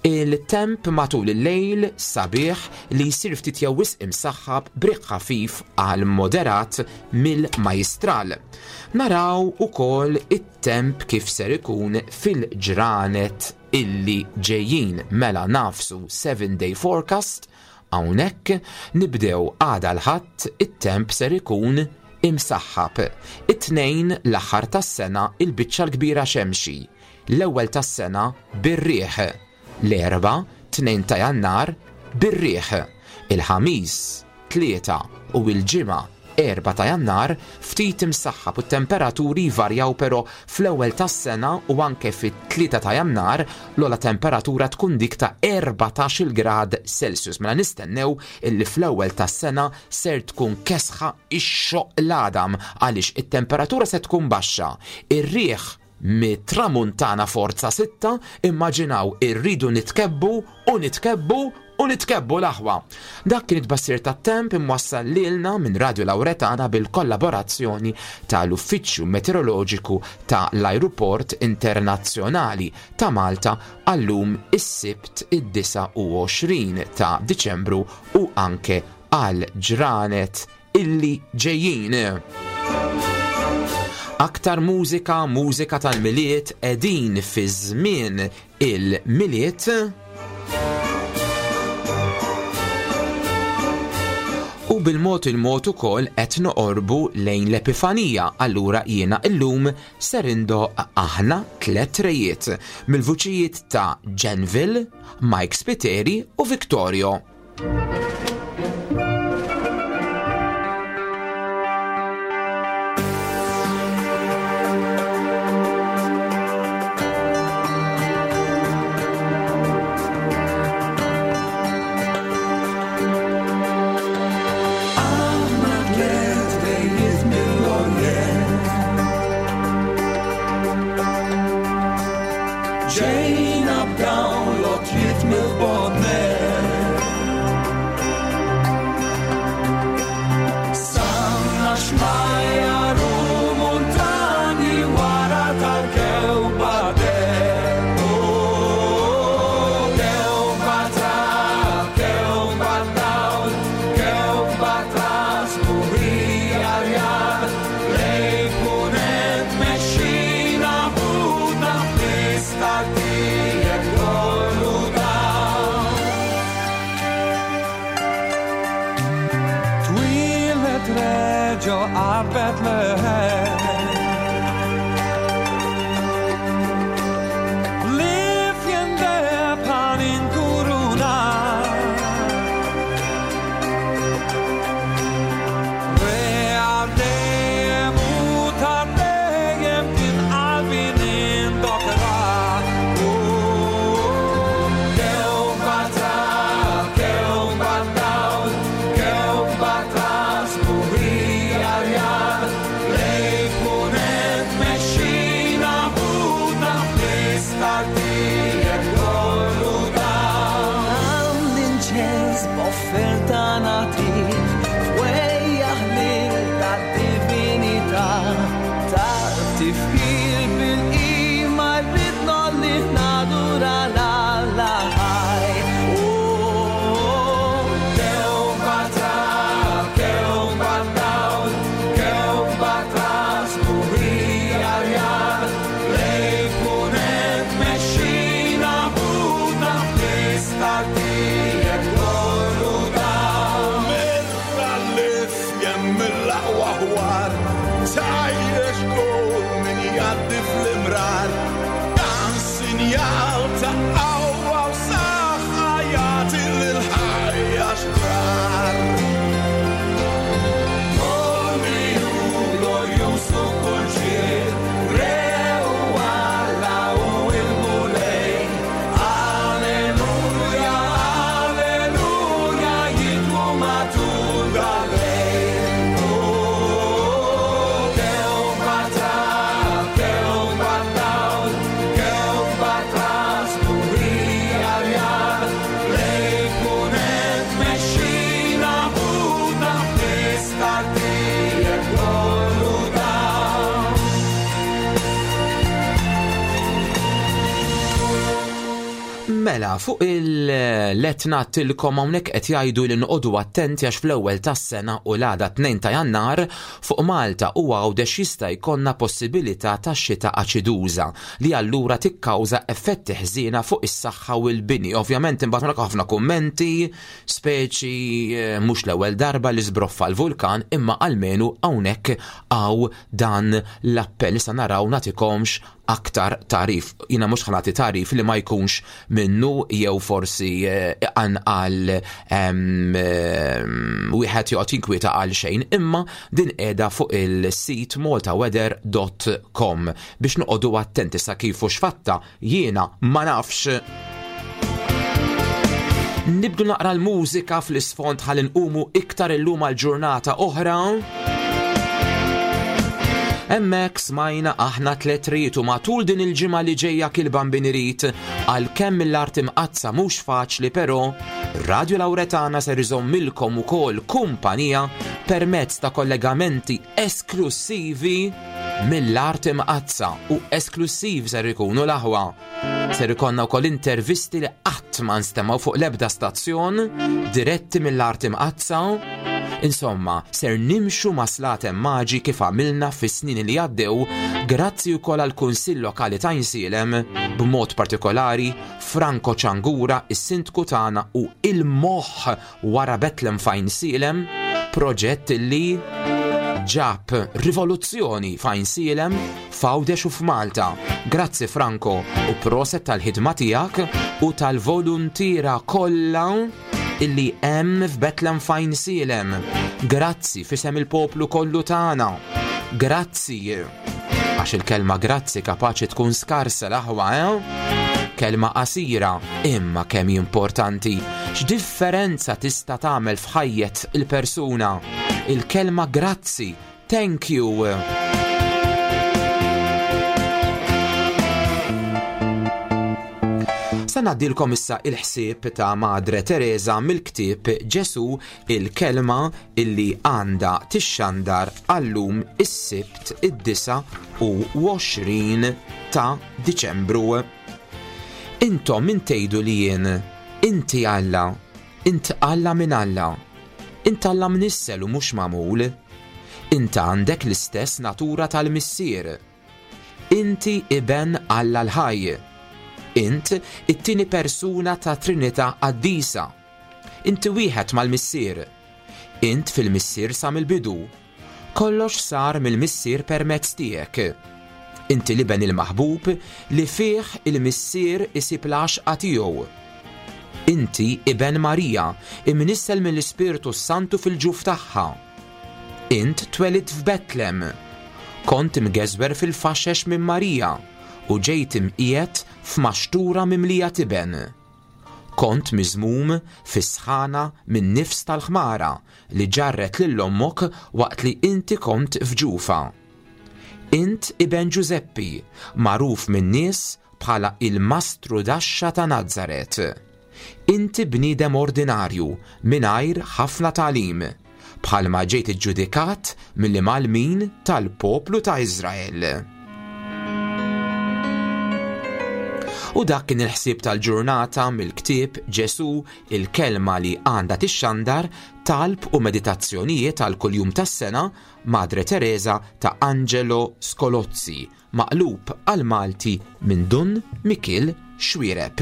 Il-temp matul il-lejl sabiħ li jsir ftit jew wisq imsaħħab b'riħ ħafif għal moderat mill-Majstral. Naraw ukoll it-temp kif ser ikun fil-ġranet illi ġejjin. Mela nafsu seven day forecast. Hawnhekk nibdew għada l-Ħadd it-temp ser ikun imsaħħab. It-Tnejn l-aħħar tas-sena il-biċċa l-kbira xemxi. L-ewwel tas-sena bir-riħ. L-Erbgħa, tnejn ta' Jannar bir-riħ. Il-Ħamis, tlieta u l-Ġimgħa erba' ta' Jannar ftit imsaħħab u t-temperaturi jvarjaw, però fl-ewwel tas-sena u anke fit-tlieta ta' Jannar l-ogħla temperatura tkun dik ta' erbatax-il grad Celsius. Mela nistennew illi fl-ewwel tas-sena ser tkun kesħa ix-xoq l-għadam għaliex it-temperatura se tkun baxxa. Ir-riħ mit-tramuntana forza sitta, immaġinaw irridu nitkebbu u nitkebbu u nitkebbu l-aħwa. Dak kien it-tbassir tat-temp imwassal lilna minn Radio Lauretana bil-kollaborazzjoni tal-Uffiċċju Meteoroloġiku ta' l-Ajruport Internazzjonali ta' Malta għallum is-Sibt id-disa u għoxrin ta' Diċembru u anke għal ġranet illi ġejjin. Aktar mużika, mużika tal-Milied, qegħdin fi żmien il-Milied. U bil-mod il-mod ukoll qed noqorbu lejn l-Epifanija, allura jiena illum ser indoq aħna tliet rejiet mill-vuċijiet ta' Genville, Mike Spiteri u Victorio. Ġejna b'dawn l-għotjiet mill-botnet. Għawdex kull min jgħaddi fl-imrar. Dan sinjal ta' qawwa u saħħa jagħti lil ħajja xrar. Kolli hu glorjuż u kull ġiel, Re u Alla u il-Mulej. Alleluja, alleluja, jidwu matul dal-lejl. Oh, kewkba ta' kewkba dawl, kewkba ta' sbuħija rjal, lejn punent mexxina ħuta fl-istartijiet kollu dawl. Mela, fuq il-letna tilkom hawnhekk qed jgħidu li noqogħdu attenti għax fl-ewwel tas-sena u l-għada tnejn ta' Jannar fuq Malta u Għawdex jista' jkollna possibilità ta' xita aċiduża li allura tikkawża effetti ħżiena fuq is-saħħa u l-bini. Ovvjament imbagħad hawnhekk ħafna kummenti, speċi eh, mhux l-ewwel darba li żbroffa l-vulkan, imma almenu hawnhekk hawn dan l-appell. Issa naraw nagħtikomx aktar tarif. Jiena mhux ħa nagħti tarif li ma jkunx minnu jew forsi eh, anqal em, em, wieħed joqgħod jinkwieta għal xejn, imma din qiegħda fuq il-sit maltaweather dot com biex noqogħdu attenti sa kif u x'fatta jiena ma nafx. Nibdu naqra l-mużika fl-isfond ħalli nqumu iktar illum għal ġurnata oħra. Hemmhekk smajna aħna tliet ried u matul din il-ġimgħa li ġejja kil-Bambin irid, għalkemm mill-Art Imqaddsa mhux faċli, però Radio Lauretana ser iżommilkom ukoll kumpanija permezz ta' kollegamenti esklusivi mill-Art Imqaddsa, u esklusiv ser ikunu l-aħwa. Ser ikonna wkoll intervisti li qatt ma nstemgħu fuq l-ebda stazzjon, diretti mill-Art Imqaddsa. Insomma, ser nimxu ma' Slaten Maġi kif għamilna fis-snin li għaddew, grazzi wkoll għall-Kunsill Lokali ta' Għajnsielem, b'mod partikolari Franco Ciangura, is-sindku tagħna u il-moħħ wara Betlem f'Għajnsielem, proġett li ġab rivoluzzjoni f'Għajnsielem, f'Għawdex u f'Malta. Grazzi Franco u proset tal-ħidma tiegħek u tal-voluntiera kollha illi hemm f'Betlem f'Għajnsielem. Grazzi fisem il-poplu kollu tagħna. Grazzi. Għax il-kelma grazzi kapaċi tkun skarsa l-aħwa, eh? Kelma qasira, imma kemm importanti. X'differenza tista' tagħmel f'ħajjet il-persuna? Il-kelma grazzi, thank you. Sa ngħaddilkom issa il-ħsieb ta' Madre Teresa mill-ktieb Ġesu, il-kelma illi għandha tixxandar għallum is-Sibt id-disa u għoxrin ta' Diċembru. Intom min tgħidu li jien, inti Alla, int Alla minn Alla, int Alla mnissel u mhux magħmul, int għandek l-istess natura tal-Missier, inti iben Alla l-ħaj, int it-tieni persuna ta' Trinità Qaddisa, inti wieħed mal-Missier, int fil-Missier sa mill-bidu, kollox sar mill-Missier permezz tiegħek. Inti l-iben il-maħbub li fih il-Missier isib l-għaxqa tiegħu. Inti iben Marija, imnissel mill-Ispirtu Santu fil-ġuf tagħha. Int twelidt f'Betlem, kont imgeżwer fil-faxex minn Marija u ġejt imqiegħed f'maxtura mimlija tiben. Kont miżmum fis-sħana minn nifs tal-ħmara li ġarret lil ommok waqt li inti kont f'ġufa. Int iben Ġużeppi, magħruf min-nies bħala il-mastru daxxa ta' Nazaret. Inti bniedem ordinarju mingħajr ħafna tagħlim, bħalma ġejt iġġudikat mill-imgħallmin tal-poplu ta' Iżrael. U dak kien il-ħsieb tal-ġurnata mill-ktieb Ġesu, il-kelma li għandha tixxandar, talb u meditazzjonijiet għal kuljum tas-sena, Madre Teresa ta' Angelo Scolozzi, maqlub għal Malti minn Dun Mikiel Xuereb.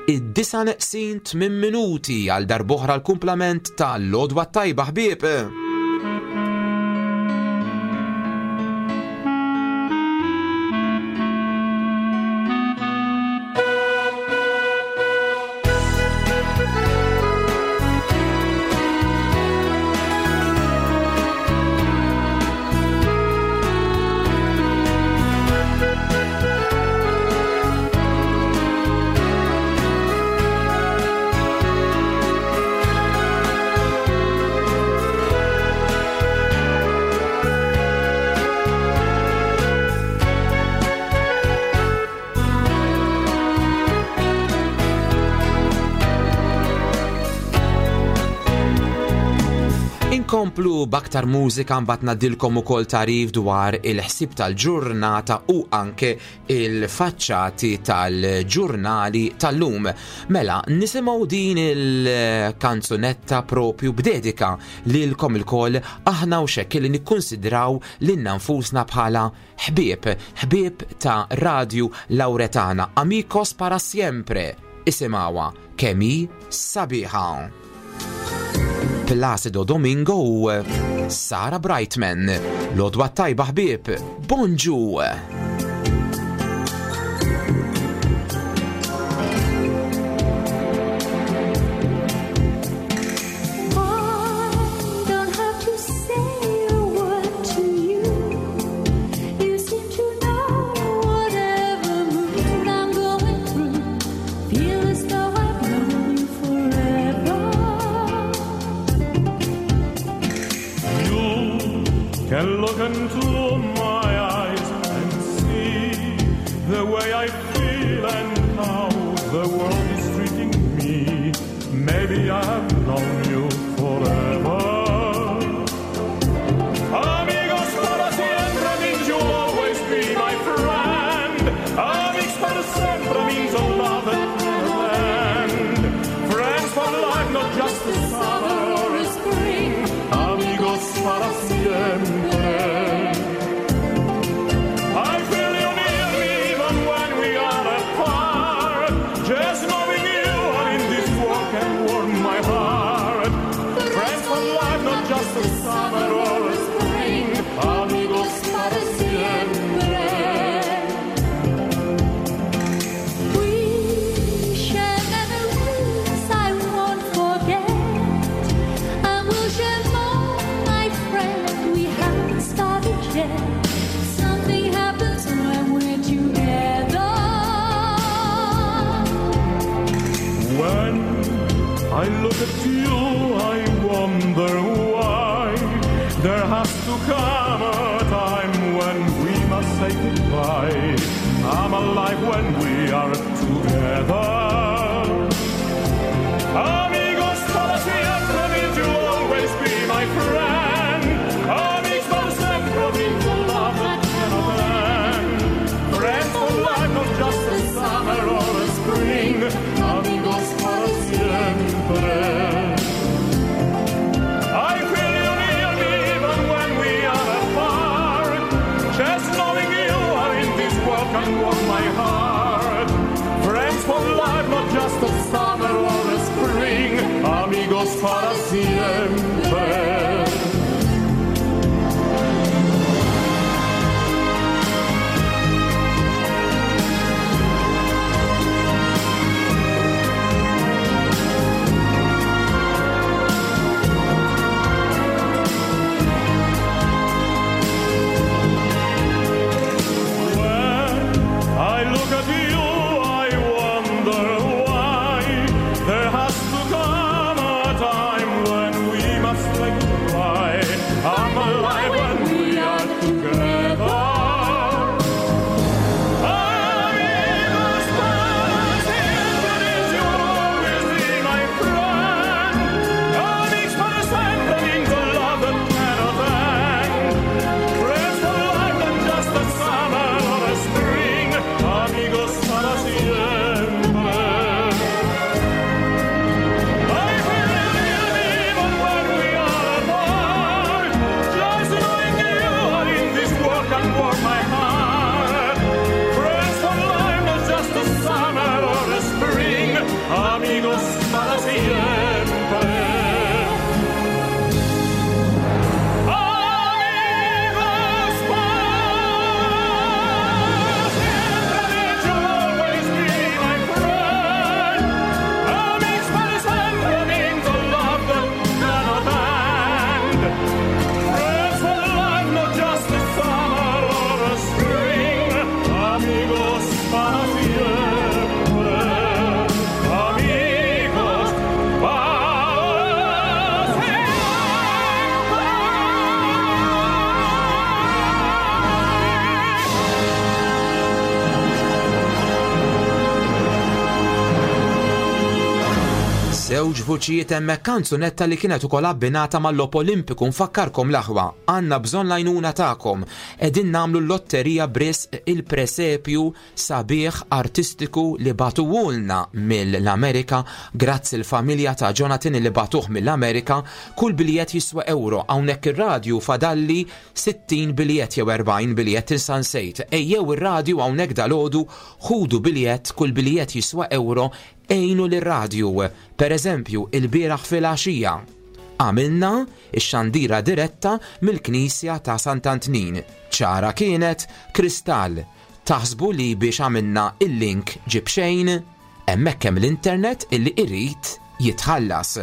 Id-disa neqsin tmien minuti għal darb'oħra l-kumplament ta' L-Għodwa Tajba ħbieb. Inkomplu b'aktar mużika, mbagħad ngħaddilkom ukoll tagħrif dwar il-ħsieb tal-ġurnata u anke il-faċċati tal-ġurnali tal-lum. Mela, nisimgħu din il-kanzunetta propju b'dedika lilkom ilkoll, aħna u xekk li nikkonsidraw lilna nfusna bħala ħbieb, ħbieb ta' Radju Lauretana. Amigos para siempre. Isimgħuha kemm hi sabiħa. Placido Domingo u Sarah Brightman. L-għodwa tajba ħbieb, bonġu! I don't have to say a word to you. You seem to know whatever mood I'm going through. Feel as though I've known you forever. You can look into my eyes and see the way I feel and how the world is treating me. Maybe I've known you forever. Amigos para siempre means you'll always be my friend. Amigos para sempre means a love that cannot end. Friends for life, not just a summer or a spring. Amigos para siempre. I feel you near me even when we are apart. Just knowing you are in this world can warm my heart. Friends for life, not just a summer or a spring. Amigos para siempre. We share memories I won't forget. And we'll share more, my friend. We haven't started yet. Something happens when we're together. When I look at you, I wonder why there has to come a time when we must say goodbye. I'm alive when we are together. Amigos para siempre means you'll always be my friend. Amigos para siempre means a love that cannot end. Friends for life, not just a summer or a spring. Amigos para siempre. I feel you near me even when we are apart. Just knowing you are in this world can warm my heart. Friends for life, not just a summer or a spring. Amigos para siempre. When I look at you, I wonder why there has to come a time Żewġ vuċijiet hemmhekk, kanzunetta li kienet ukoll abbinata mal-Logħob Olimpiku. Nfakkarkom, l-aħwa, għandna bżonn l-għajnuna tagħkom. Qegħdin nagħmlu l-lotterija b'risq il-presepju sabiħ artistiku li bagħtuhulna mill-Amerika. Grazzi l-familja ta' Jonathan li bagħtuh mill-Amerika. Kull biljett jiswa euro. Hawnhekk ir-radju fadalli sittin biljett jew erbgħin biljett, insejt. Ejjew ir-radju hawnhekk dalgħodu, ħudu biljett, kull biljett jiswa euro, għinu lir-radju. Per eżempju, il-bieraħ fil-għaxija għamilna ix-xandira diretta mill-Knisja ta' Sant'Antnin. Ċara kienet, kristall. Taħsbu li biex għamilna il-link ġib xejn? Hemmhekk hemm l-internet illi irid jitħallas.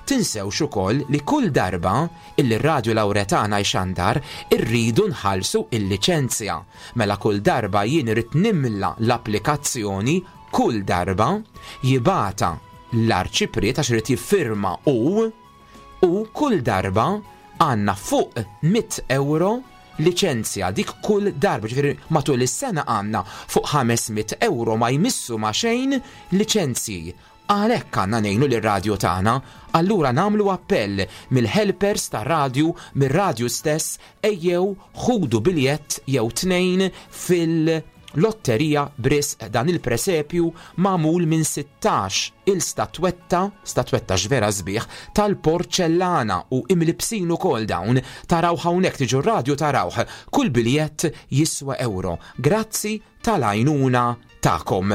Tinsewx ukoll li kull darba illi r-Radju Lauretana jxandar irridu nħallsu il-liċenzja. Mela kull darba jien irrid nimla l-applikazzjoni, kull darba jibgħatha l-arċipriet għax irid jiffirma u u kull darba għandna fuq mitt euro liċenzja, dik kull darba, ġifieri matul is-sena għandna fuq ħames mitt euro ma jmissu ma xejn liċenzji. Għalhekk għandna ngħinu lir-radju tagħna, allura nagħmlu appell mill-helpers tar-radju, mir-radju stess, ejjew ħudu biljett jew tnejn fil- lotterija b'risq dan il-presepju magħmul minn sittax il-statwetta, statwetta vera sbieħ, tal-porċellana u imlibsin ukoll dawn, taraw hawnhekk, tiġu radju tarawh, kull biljett jiswa euro. Grazzi tal-għajnuna tagħkom.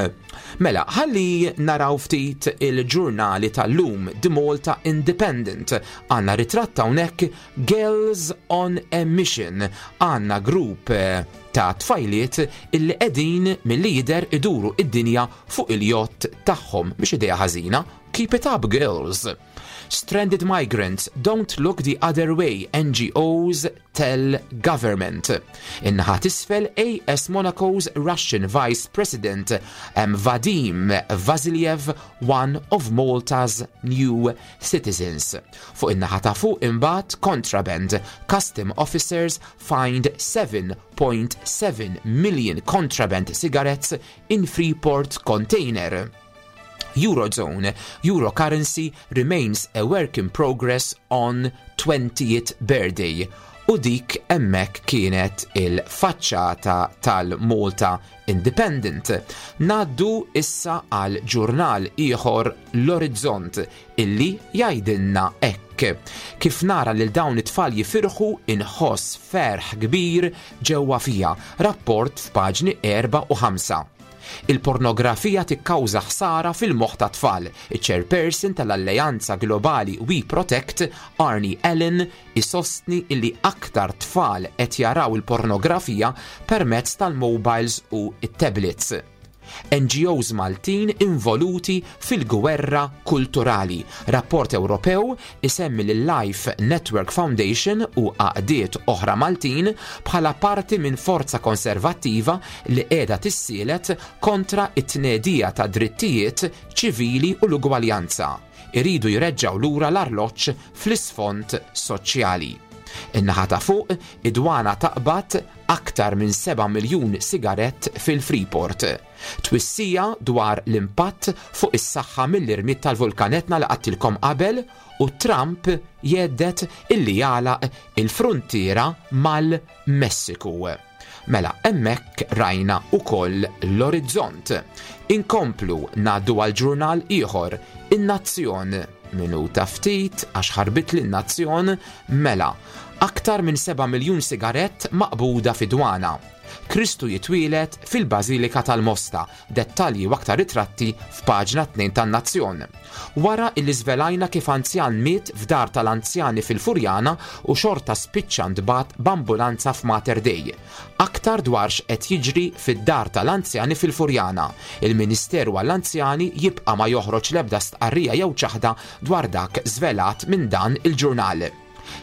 Mela, ħalli naraw ftit il-ġurnali tal-lum, The Malta Independent. Għandna ritratt hawnhekk, Girls on a Mission. Għandna grupp eh, ta' tfajliet illi qegħdin mill-lider iduru id-dinja fuq il-jott tagħhom, biex idea ħażina. Keep it up, girls. Stranded migrants don't look the other way, N G Os tell government. In-naħa t'isfel, A S Monaco's Russian Vice President um, Vadim Vasiliev, one of Malta's new citizens. Fuq in-naħa ta' fuq imbagħad, contraband, custom officers find seven point seven million contraband cigarettes in Freeport container. Eurozone, Euro currency remains a work in progress on twentieth birthday. U dik hemmhekk kienet il-faċċata tal-Malta Independent. Ngħaddu issa għal ġurnal ieħor, l-Orizzont, illi jgħidilna hekk: "Kif nara lil dawn it-tfal jifirħu inħoss ferħ kbir ġewwa fija." Rapport f'paġni erba' u ħamsa. Il-pornografija tikkawża ħsara fil-moħħ ta' tfal. Il-chairperson tal-Alleanza Globali We Protect, Arnie Allen, isostni illi aktar tfal qed jaraw il-pornografija permezz tal-mobiles u it-tablets. N G Os Maltin involuti fil-gwerra kulturali. Rapport Ewropew isemmi l-Life Network Foundation u għaqdiet oħra Maltin bħala parti minn forza konservattiva li qiegħda tissielet kontra it-tnedija ta' drittijiet ċivili u l-ugwaljanza. Iridu jreġġaw lura l-arloġġ fl-isfond soċjali. In-naħa ta' fuq, id-dwana taqbad aktar minn seba' miljun sigarett fil-Freeport. Twissija dwar l-impatt fuq is-saħħa mill-irmied tal-vulkan Etna li għedtilkom qabel u Trump jhedded illi jagħlaq il-frontiera mal-Messiku. Mela, hemmhekk rajna ukoll l-Orizzont. Inkomplu ngħaddu għal ġurnal ieħor, In-Nazzjon. Minuta ftit għax ħarbit l-Nazzjon. Mela, aktar minn seba' miljun sigarett maqbuda fid-dwana. Kristu jitwielet fil-Bażilika tal-Mosta, dettalji u aktar ritratti f'paġna tnejn tan-Nazzjon. Wara illi żvelajna kif anzjan miet f'dar tal-anzjani fil-Furjana u xorta spiċċa ntbagħat b'ambulanza f'Mater Dei. Aktar dwar x'qed jiġri fid-dar tal-anzjani fil-Furjana. Il-Ministeru għall-Anzjani jibqa' ma joħroġ l-ebda stqarrija jew ċaħda dwar dak żvelat minn dan il-ġurnal.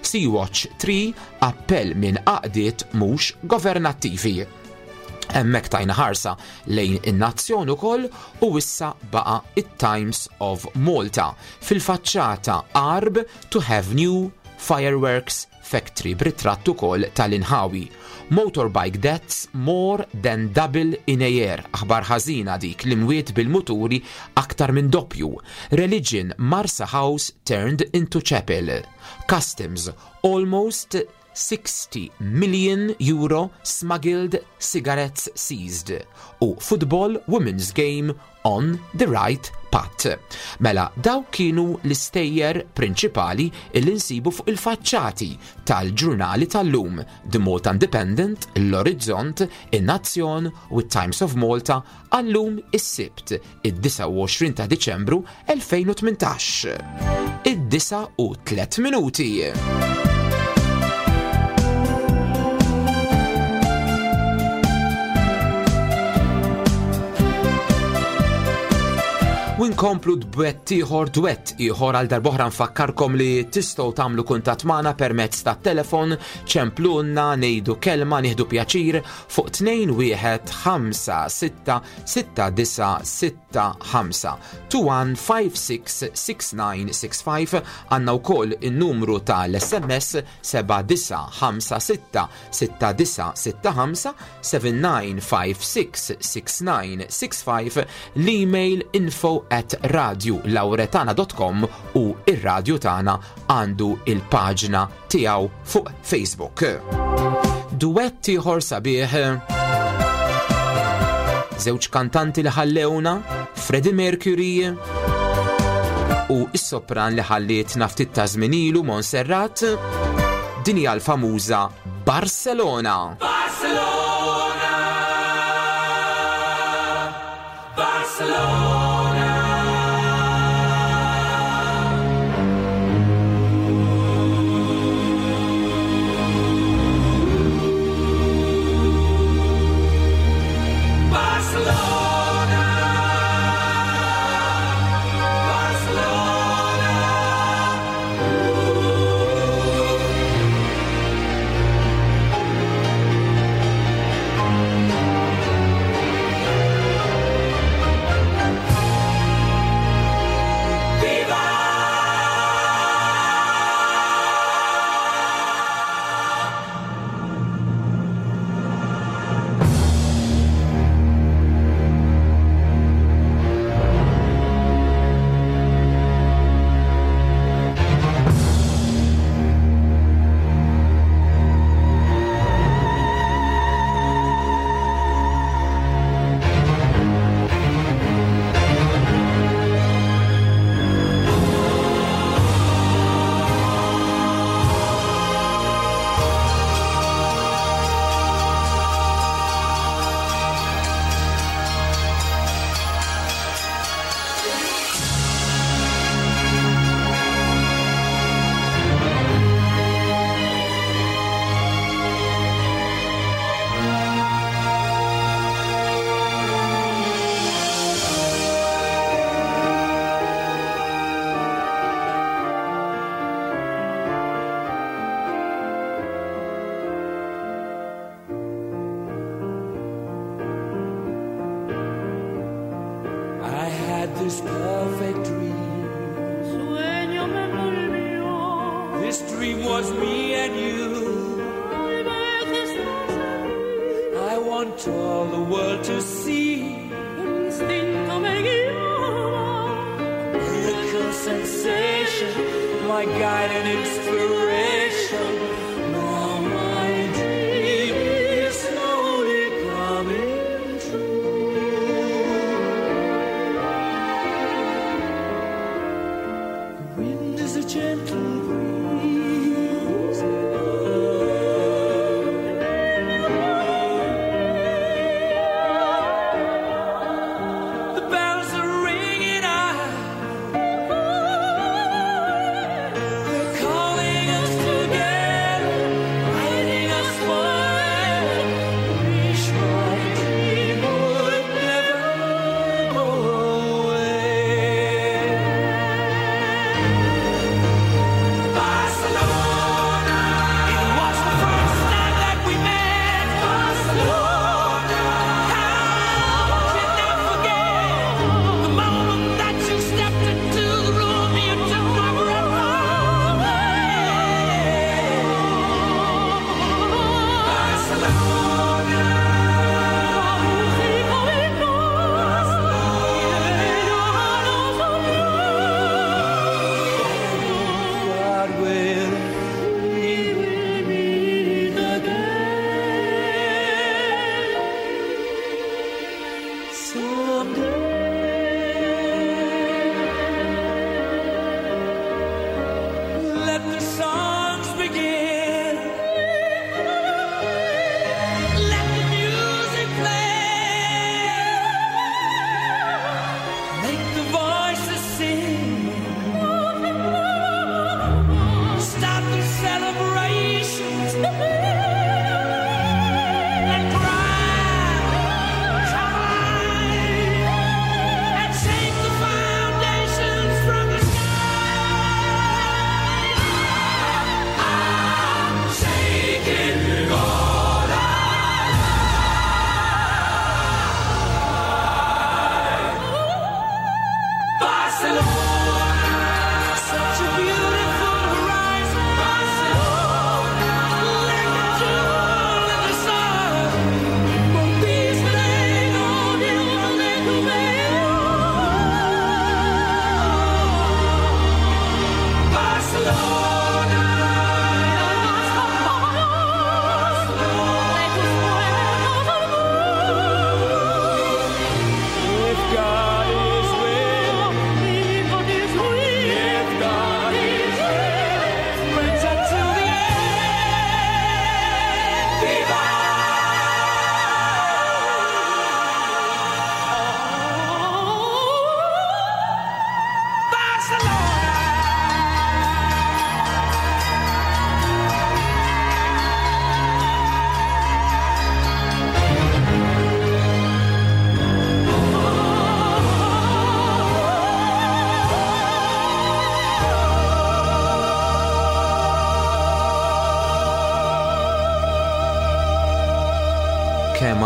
Sea-Watch tlieta, appell minn għaqdiet mhux governattivi. Hemmhekk tajna ħarsa lejn In-Nazzjon ukoll u issa baqa it-Times of Malta. Fil-faċċata, Għarb to have new Fireworks Factory b'ritratt ukoll tal-inħawi. Motorbike deaths more than double in a year. Aħbar ħażina dik l-imwiet bil-muturi aktar minn doppju. Religion Marsa House turned into chapel. Customs almost sixty million euro smuggled cigarettes seized. U football women's game on the right path. Mela, daw kienu l-istejjer prinċipali illi nsibu fuq il-faċċati tal-ġurnali tal-lum, The Malta Independent, l-Orizzont, in-Nazzjon u Times of Malta għallum is-Sibt, id-disgħa u għoxrin ta' Diċembru elfejn u tmintax. Id-disgħa u tliet minuti. U nkomplu dwett ieħor, dwett ieħor għal darb'oħra nfakkarkom li tistgħu tagħmlu kuntatt magħna permezz tat-telefon, ċemplunna, ngħidu kelma, nieħdu pjaċir fuq tnejn wieħed ħamsa sitta sitta disa sitta ħamsa two one five six six nine six five. Għandna wkoll in-numru tal-S M S seba' disa ħamsa sitta sitta disa sitta ħamsa seven nine five six six nine six five, l-email info at radio lauretana dot com u ir-radju tagħna għandu il-paġna tiegħu fuq Facebook. Duett ieħor sabiħ, żewġ kantanti li ħallewna, Freddie Mercury u s-sopran li ħallietna ftit ta' żmien ilu Montserrat, din hija l-famuża Barcelona. Barcelona, Barcelona. This perfect dream. Sueño me volvió. This dream was me and you. Tal vez estás aquí. I want all the world to see. Un instinto me guiaba. Miracle sensation, my guide and inspiration. Now my dream is slowly coming true. The wind is a gentle breeze. The bells are ringing out. They're calling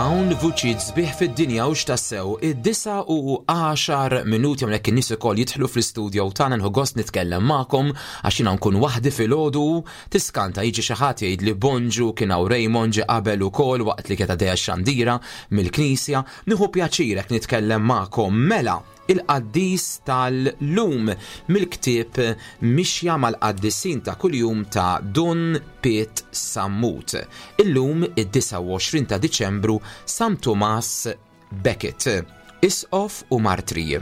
Kemm hawn vuċijiet sbieħ fid-dinja u x'tassew, id-disgħa u għaxar minuti hawnhekk in-nies ukoll jidħlu fl-istudio tagħna. Nieħu gost nitkellem magħkom għax jiena nkun waħdi filgħodu, tiskanta jiġi xi ħadd jgħid li bonġu. Kien hawn Raymond ġie qabel ukoll waqt li kienet għaddejja x-xandira mill-knisja. Nieħu pjaċir hekk nitkellem magħkom. Mela, il-qaddis tal-lum mill-ktieb Mixja mal-Qaddisin ta' Kuljum ta' Dun Piet Sammut. Illum id-disgħa u għoxrin ta' Diċembru, San Tumas Becket, isqof u martri.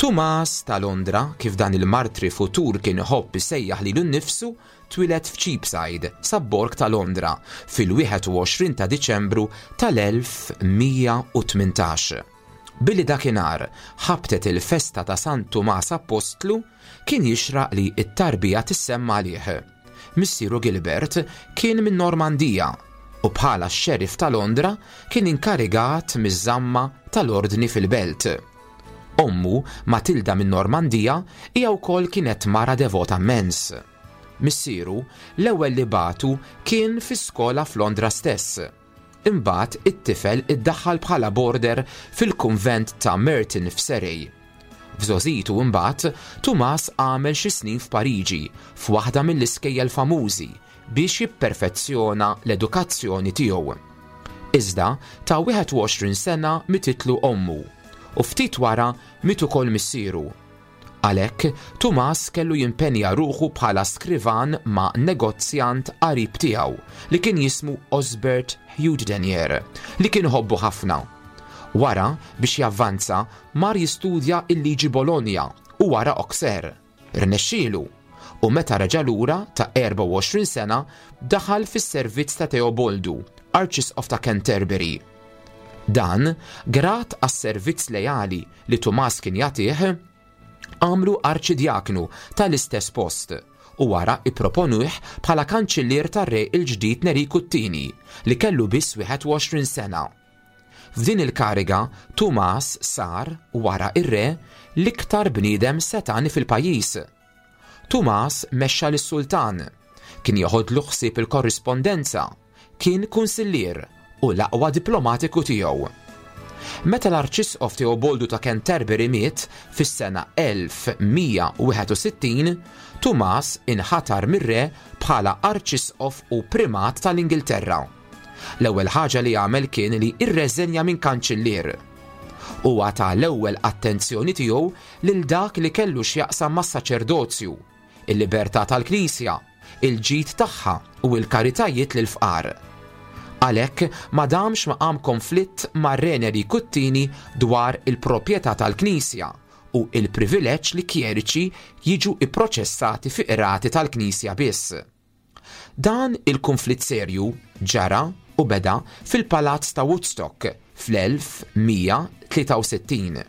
Tumas ta' Londra, kif dan il-martri futur kien iħobb isejjaħ lilu nnifsu, twieled f'Cheapside, sobborg ta' Londra, fil-wieħed u għoxrin ta' Diċembru tal-elf mija u tmintax. Billi dakinhar ħabtet il-festa ta' San Tumas Apostlu, kien jixraq li it-tarbija tissemma għalih. Missieru Gilbert kien minn Normandija u bħala xerif ta' Londra kien inkarigat miż-żamma tal-ordni fil-belt. Ommu, Matilda minn Normandija, hija wkoll kienet mara devota immens. Missieru l-ewwel li bagħtu kien fi skola f'Londra stess. Imbagħad it-tifel iddaħħal bħala border fil-kunvent ta' Merton f'Surrey. F'żgħożitu imbagħad Tumas għamel xi snin f'Pariġi f'waħda mill-iskejjel famużi biex jipperfezzjona l-edukazzjoni tiegħu. Iżda ta' wieħed u għoxrin sena mititlu ommu u ftit wara miet ukoll missieru. Għalhekk, Tumas kellu jimpenja ruħu bħala skrivan ma' negozjant qarib tiegħu li kien jismu Osbert Hugdenier, li kien iħobbu ħafna. Wara, biex javvanza, mar jistudja il-liġi Bologna u wara Auxerre. Rnexxielu u meta reġa' lura ta' erbgħa u għoxrin sena daħal fis-servizz ta' Teoboldu, Arċisqof ta' Canterbury. Dan, grat għas-servizz lejali li Tumas kien jagħtih, għamlu arċidjaknu tal-istess post u wara ipproponuh bħala kanċillier tar-re il-ġdid Neriku t-Tieni li kellu biss wieħed u għoxrin sena. F'din il-kariga, Tumas sar, wara ir-re, l-iktar bniedem setani fil-pajjiż. Tumas mexxa lis-sultan, kien joħodlu ħsieb il-korrispondenza, kien kunsillier u l-aqwa diplomatiku tiegħu. Meta l-Arċisqof Teoboldu ta' Canterbury miet fis-sena elf mija u wieħed u sittin, Tumas inħatar mir-re bħala Arċisqof u Primat tal-Ingilterra. L-ewwel ħaġa li għamel kien li irreżenja minn kanċillier. Huwa ta l-ewwel attenzjoni tiegħu lil dak li kellu x'jaqsam mas-saċerdozju, il-libertà tal-Knisja, il-ġid tagħha u l-karitajiet lil fqar. Għalhekk ma damx ma qam konflitt ma' Re Enriku t-Tieni dwar il-proprjetà tal-Knisja u il-privileġġ li kjeriċi jiġu ipproċessati fi qrati tal-Knisja biss. Dan il-konflitt serju ġara u beda fil-Palazz ta' Woodstock fl-elf mija tlieta u sittin.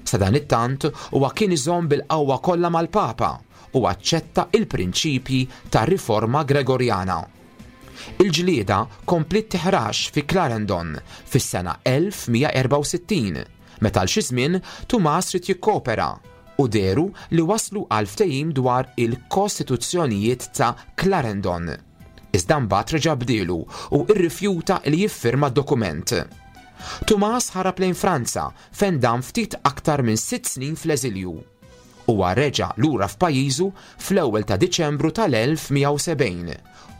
Sadanittant huwa kien iżomm bil-qawwa kollha mal-Papa u aċċetta il-prinċipji ta' riforma Gregorjana. Il-ġlieda kompliet tiħrax fi Clarendon fis-sena elf mija erbgħa u sittin, meta għal xi żmien Tumas ried jikkopera u dehru li waslu għal ftehim dwar il-Kostituzzjonijiet ta' Clarendon. Iżda mbagħad reġa' bdielu u rrifjuta li jiffirma d-dokument. Tumas ħarab lejn Franza fejn dam ftit aktar minn sitt snin fl-eżilju. Huwa reġa' lura f'pajjiżu fl-ewwel ta' Diċembru tal-elf mija u sebgħin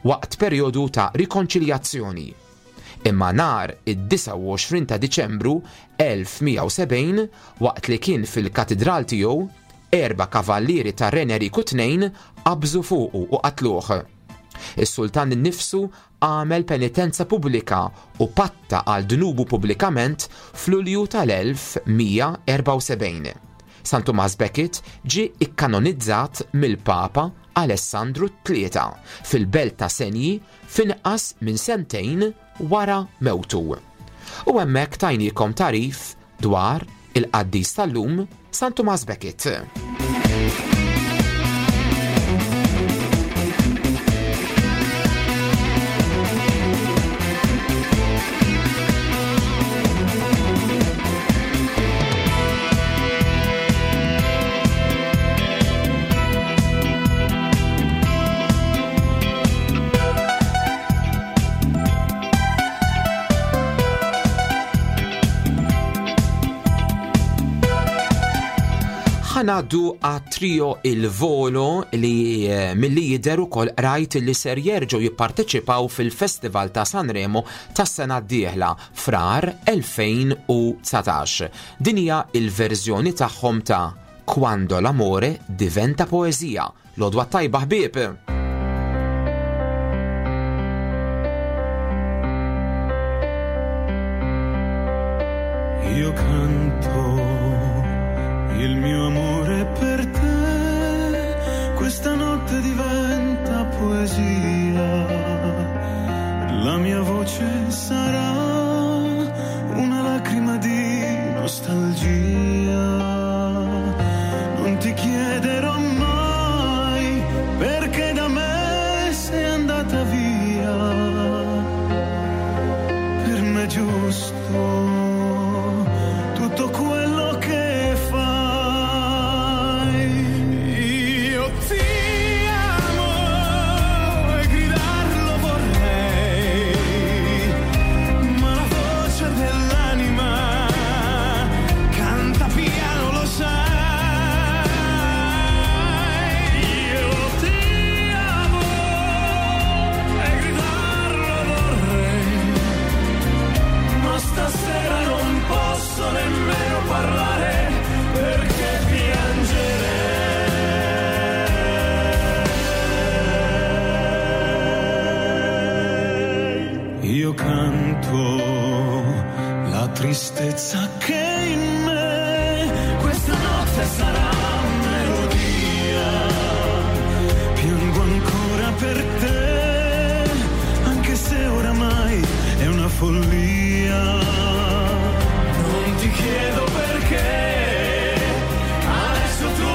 waqt perjodu ta' rikonċiljazzjoni. Imma nhar id-disgħa u għoxrin ta' Diċembru elf mija u sebgħin, waqt li kien fil-katedral tiegħu, erba' kavallieri ta' Re Enriku tnejn qabżu fuqu u qatluh. Is-sultan innifsu għamel penitenza pubblika u patta għal dnubu pubblikament f'Lulju tal-elf mija erbgħa u sebgħin. San Tumas Becket ġie ikkanonizzat mill-Papa Alessandru tlieta fil-belt ta' Senji f'inqas minn sentejn wara mewtu. U hemmhekk tajnikom tagħrif dwar il-qaddis tal-lum, San Tumas Becket. Ħa ngħaddu għat-trio Il Volo li eh, milli jidher ukoll rajt li ser jerġgħu jipparteċipaw fil-Festival ta' Sanremo tas-sena d-dieħla frar elfejn u dsatax. Din hija il-verżjoni tagħhom ta' Quando l'amore diventa poesia. L-għodwa tajba, ħbieb! Io canto il mio amore per te, questa notte diventa poesia, la mia voce sarà una lacrima di nostalgia. Non ti chiederò mai perché da me sei andata via, per me è giusto tutto quello che fai. Io ti amo e gridarlo vorrei, ma la voce dell'anima canta piano, lo sai. Io ti amo e gridarlo vorrei, ma stasera non posso nemmeno parlare perché piangerei. Io canto la tristezza che in me questa notte sarà melodia. Piango ancora per te, anche se oramai è una follia. Non ti chiedo perché, adesso tu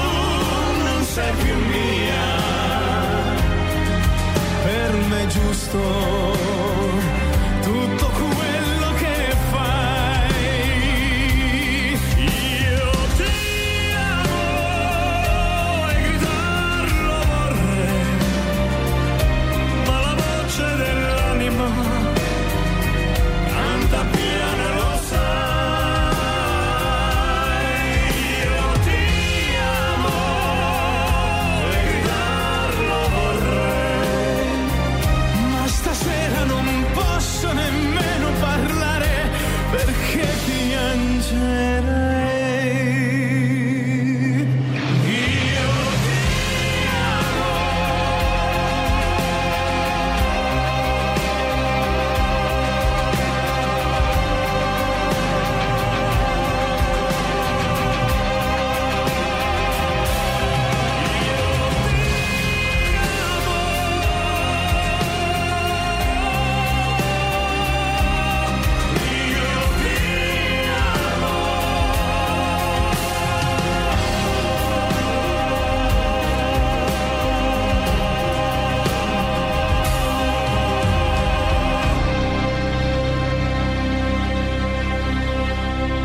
non sei più mia. Per me è giusto tutto quello che fai. Io ti amo e gridarlo vorrei, ma la voce dell'anima canta piano e lo sai. Io ti amo e gridarlo vorrei, ma stasera non posso nemmeno parlare perché piangerei. Io ti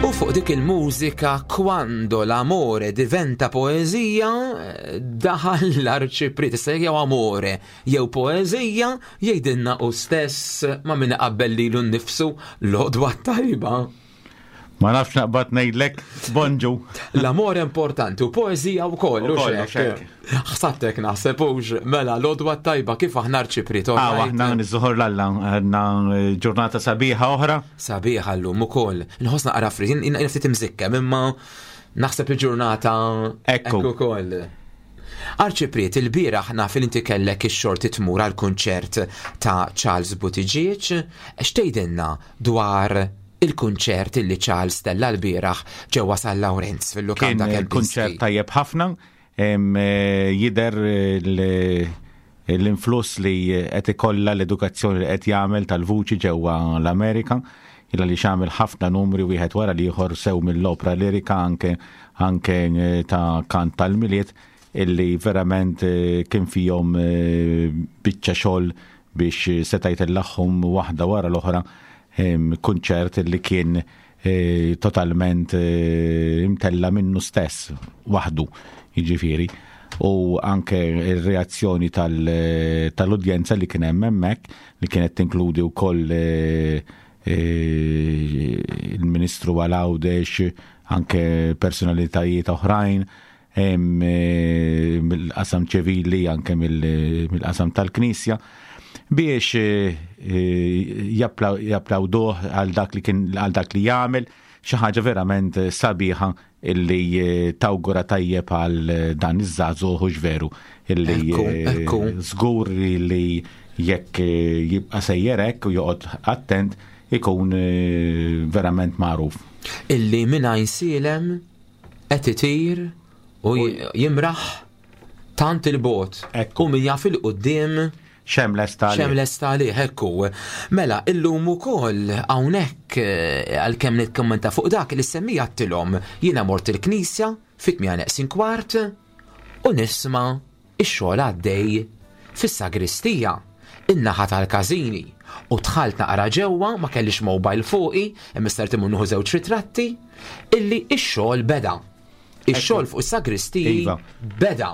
U fuq dik il-mużika "Quando l'amore diventa poesia" eh, daħal l-arċipriet. Issa jew amore jew poeżija, jgħidilna u stess ma' min qabbel lilu nnifsu. L-għodwa tajba. Ma nafx naqbad ngħidlek, bonġu. L-amore importanti u poeżija wkoll, u Ukoll, xek. Ħsabtek naħseb hux. Mela, l-għodwa tajba, kif aħna, arċipriet? Ah, All right? aħna niżuħor l-Alla, għandna ġurnata sabiħa oħra. Sabiħa llum ukoll. Nħossna qara frit, jien ftit imżikkem, imma naħseb il-ġurnata Ekku. Ekku ukoll. Arċipriet, il-bieraħ naf li inti kellek ix-xorti tmur għal kunċert ta' Charles Buttigieg. X'tgħidilna dwar il-kunċert illi Charles tella l-bieraħ ġewwa San Lawrenz Kien fil-lukanda Kempinski? konċert tajjeb ħafna, em, eh, jidher l- l-influss li qed ikollha l-edukazzjoni li qed jagħmel tal-vuċi ġewwa l-Amerika, illa li xamel ħafna numri wieħed wara l-ieħor, sew mill-opra lirika, anke anke eh, ta' kant tal-Milied, illi verament eh, kien fihom eh, biċċa xogħol biex seta' jtellagħhom waħda wara l-oħra, em, kunċert li kien eh, totalment eh, imtella minnu stess waħdu, jiġifieri, u anke il-reazzjoni tal- tal-udjenza li kien hemm hemmhekk, li kienet tinkludi wkoll eh, eh, il-Ministru għal Għawdex, anke personalitajiet oħrajn, eh, mill-qasam ċivili, anke mill-qasam tal-Knisja, biex eh, japplawduh għal dak li kien, għal dak li jagħmel, xi ħaġa verament sabiħa illi tawgura tajjeb għal dan iż-żagħżugħ, hux veru, illi żgur li jekk jibqa' sejjer hekk u joqgħod attent ikun verament magħruf. Illi minn Għajnsielem qed itir u jimraħ tant il-bot. U min jaf il-quddiem Xem lesta għalih. Xem lesta għalih, ekku. Mela, illum ukoll hawnhekk għalkemm nikkommenta fuq dak li semmija għattilhom, jiena mort il-knisja fit-tmienja neqsin kwart u nisma' ix-xogħol għaddej fis-sagristija, in-naħa tal-każini. U dħalt naqra ġewwa, ma kellix mobile fuqi, imma sert imur nieħu żewġ ritratti, illi ix-xogħol beda. Ix-xogħol fuq is-sagristiji Iva. beda.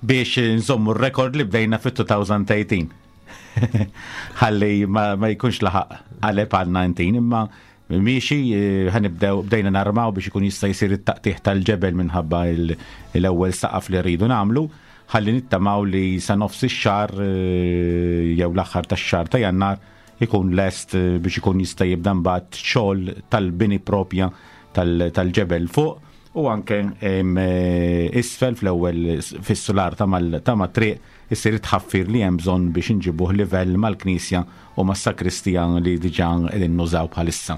Biex nżommu r-rekord li bdejna fit-elfejn u tmintax. Ħalli ma, ma jkunx laħaq għalep għal dsatax, imma miexi ħa nibdew, bdejna narmaw biex ikun jista' jsir it-taqtiħ tal-ġebel minħabba l-ewwel saqaf li rridu nagħmlu, ħalli nittamaw li sa nofs ix-xahar jew l-aħħar tax-xahar ta' Jannar ikun lest biex ikun jista' jibda mbagħad xogħol tal-bini propja tal-ġebel fuq u anke isfel fl-ewwel fis-sular ta' mat-triq isir tħaffir li hemm bżonn biex inġibuh livell mal-knisja u mas-sakristija li diġà qegħdin nużaw bħalissa.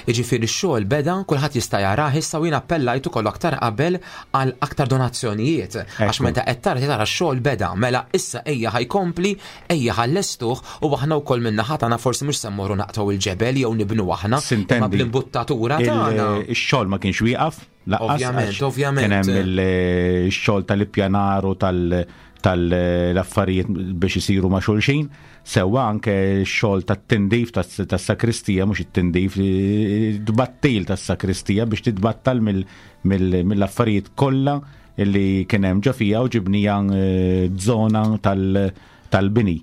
Jiġifieri x-xogħol beda, kulħadd jista' jarah issa, u jien appellajt ukoll aktar qabel għal aktar donazzjonijiet. Għax meta qed tara tara x-xogħol beda, mela issa ejja ħa jkompli, ejja ħa nlestuh, u aħna wkoll min-naħa tagħna forsi mhux se mmorru naqtgħu il-ġebel jew nibnu aħna, imma bl-imbuttatura tagħna. Ix-xogħol ma kienx wieqaf, Ovvjament, ovvjament. Kien hemm il-xogħol tal-ippjanar u tal- tal-affarijiet biex isiru ma' xulxin, sewwa anke x-xogħol tat-tindif tas-sakristija, mhux it-tindif, tbattil tas-sakristija biex titbattal mill-affarijiet kollha li kien hemm ġo fija u ġibnija żona tal-bini,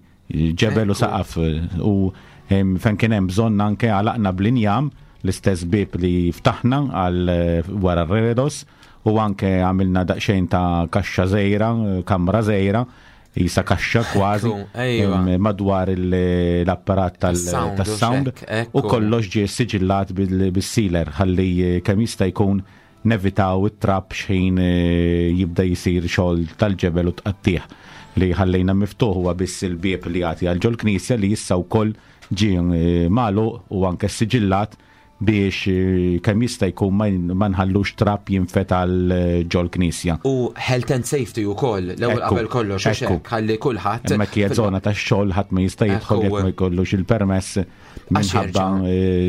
ġebel u saqaf, u fejn kien hemm bżonn anke għalaqna bl-injam l-istess bib li ftaħna għal wara r-redos, u anke għamilna daqsxejn ta' kaxxa żgħira, kamra żgħira, jisa kaxxa kważi, madwar l-apparat tas-sound, u kollox ġie siġillat bil-sealer ħalli kemm jista' jkun nevitaw it-trab xħin jibda jisir xogħol tal-ġebel u tqattih. Li ħallejna miftuħ huwa biss il-bieb li jagħti għal ġol-knisja li issa wkoll ġie magħluq u anke siġillat biex kemm jista' jkun ma nħallux trab jinfet għal ġol-knisja. U health and safety wkoll, l-ewwel qabel kollox, u hekk ħalli kulħadd. Hemmhekk hija żona tax-xogħol, ħadd ma jista' jidħol jekk ma jkollux il-permess minħabba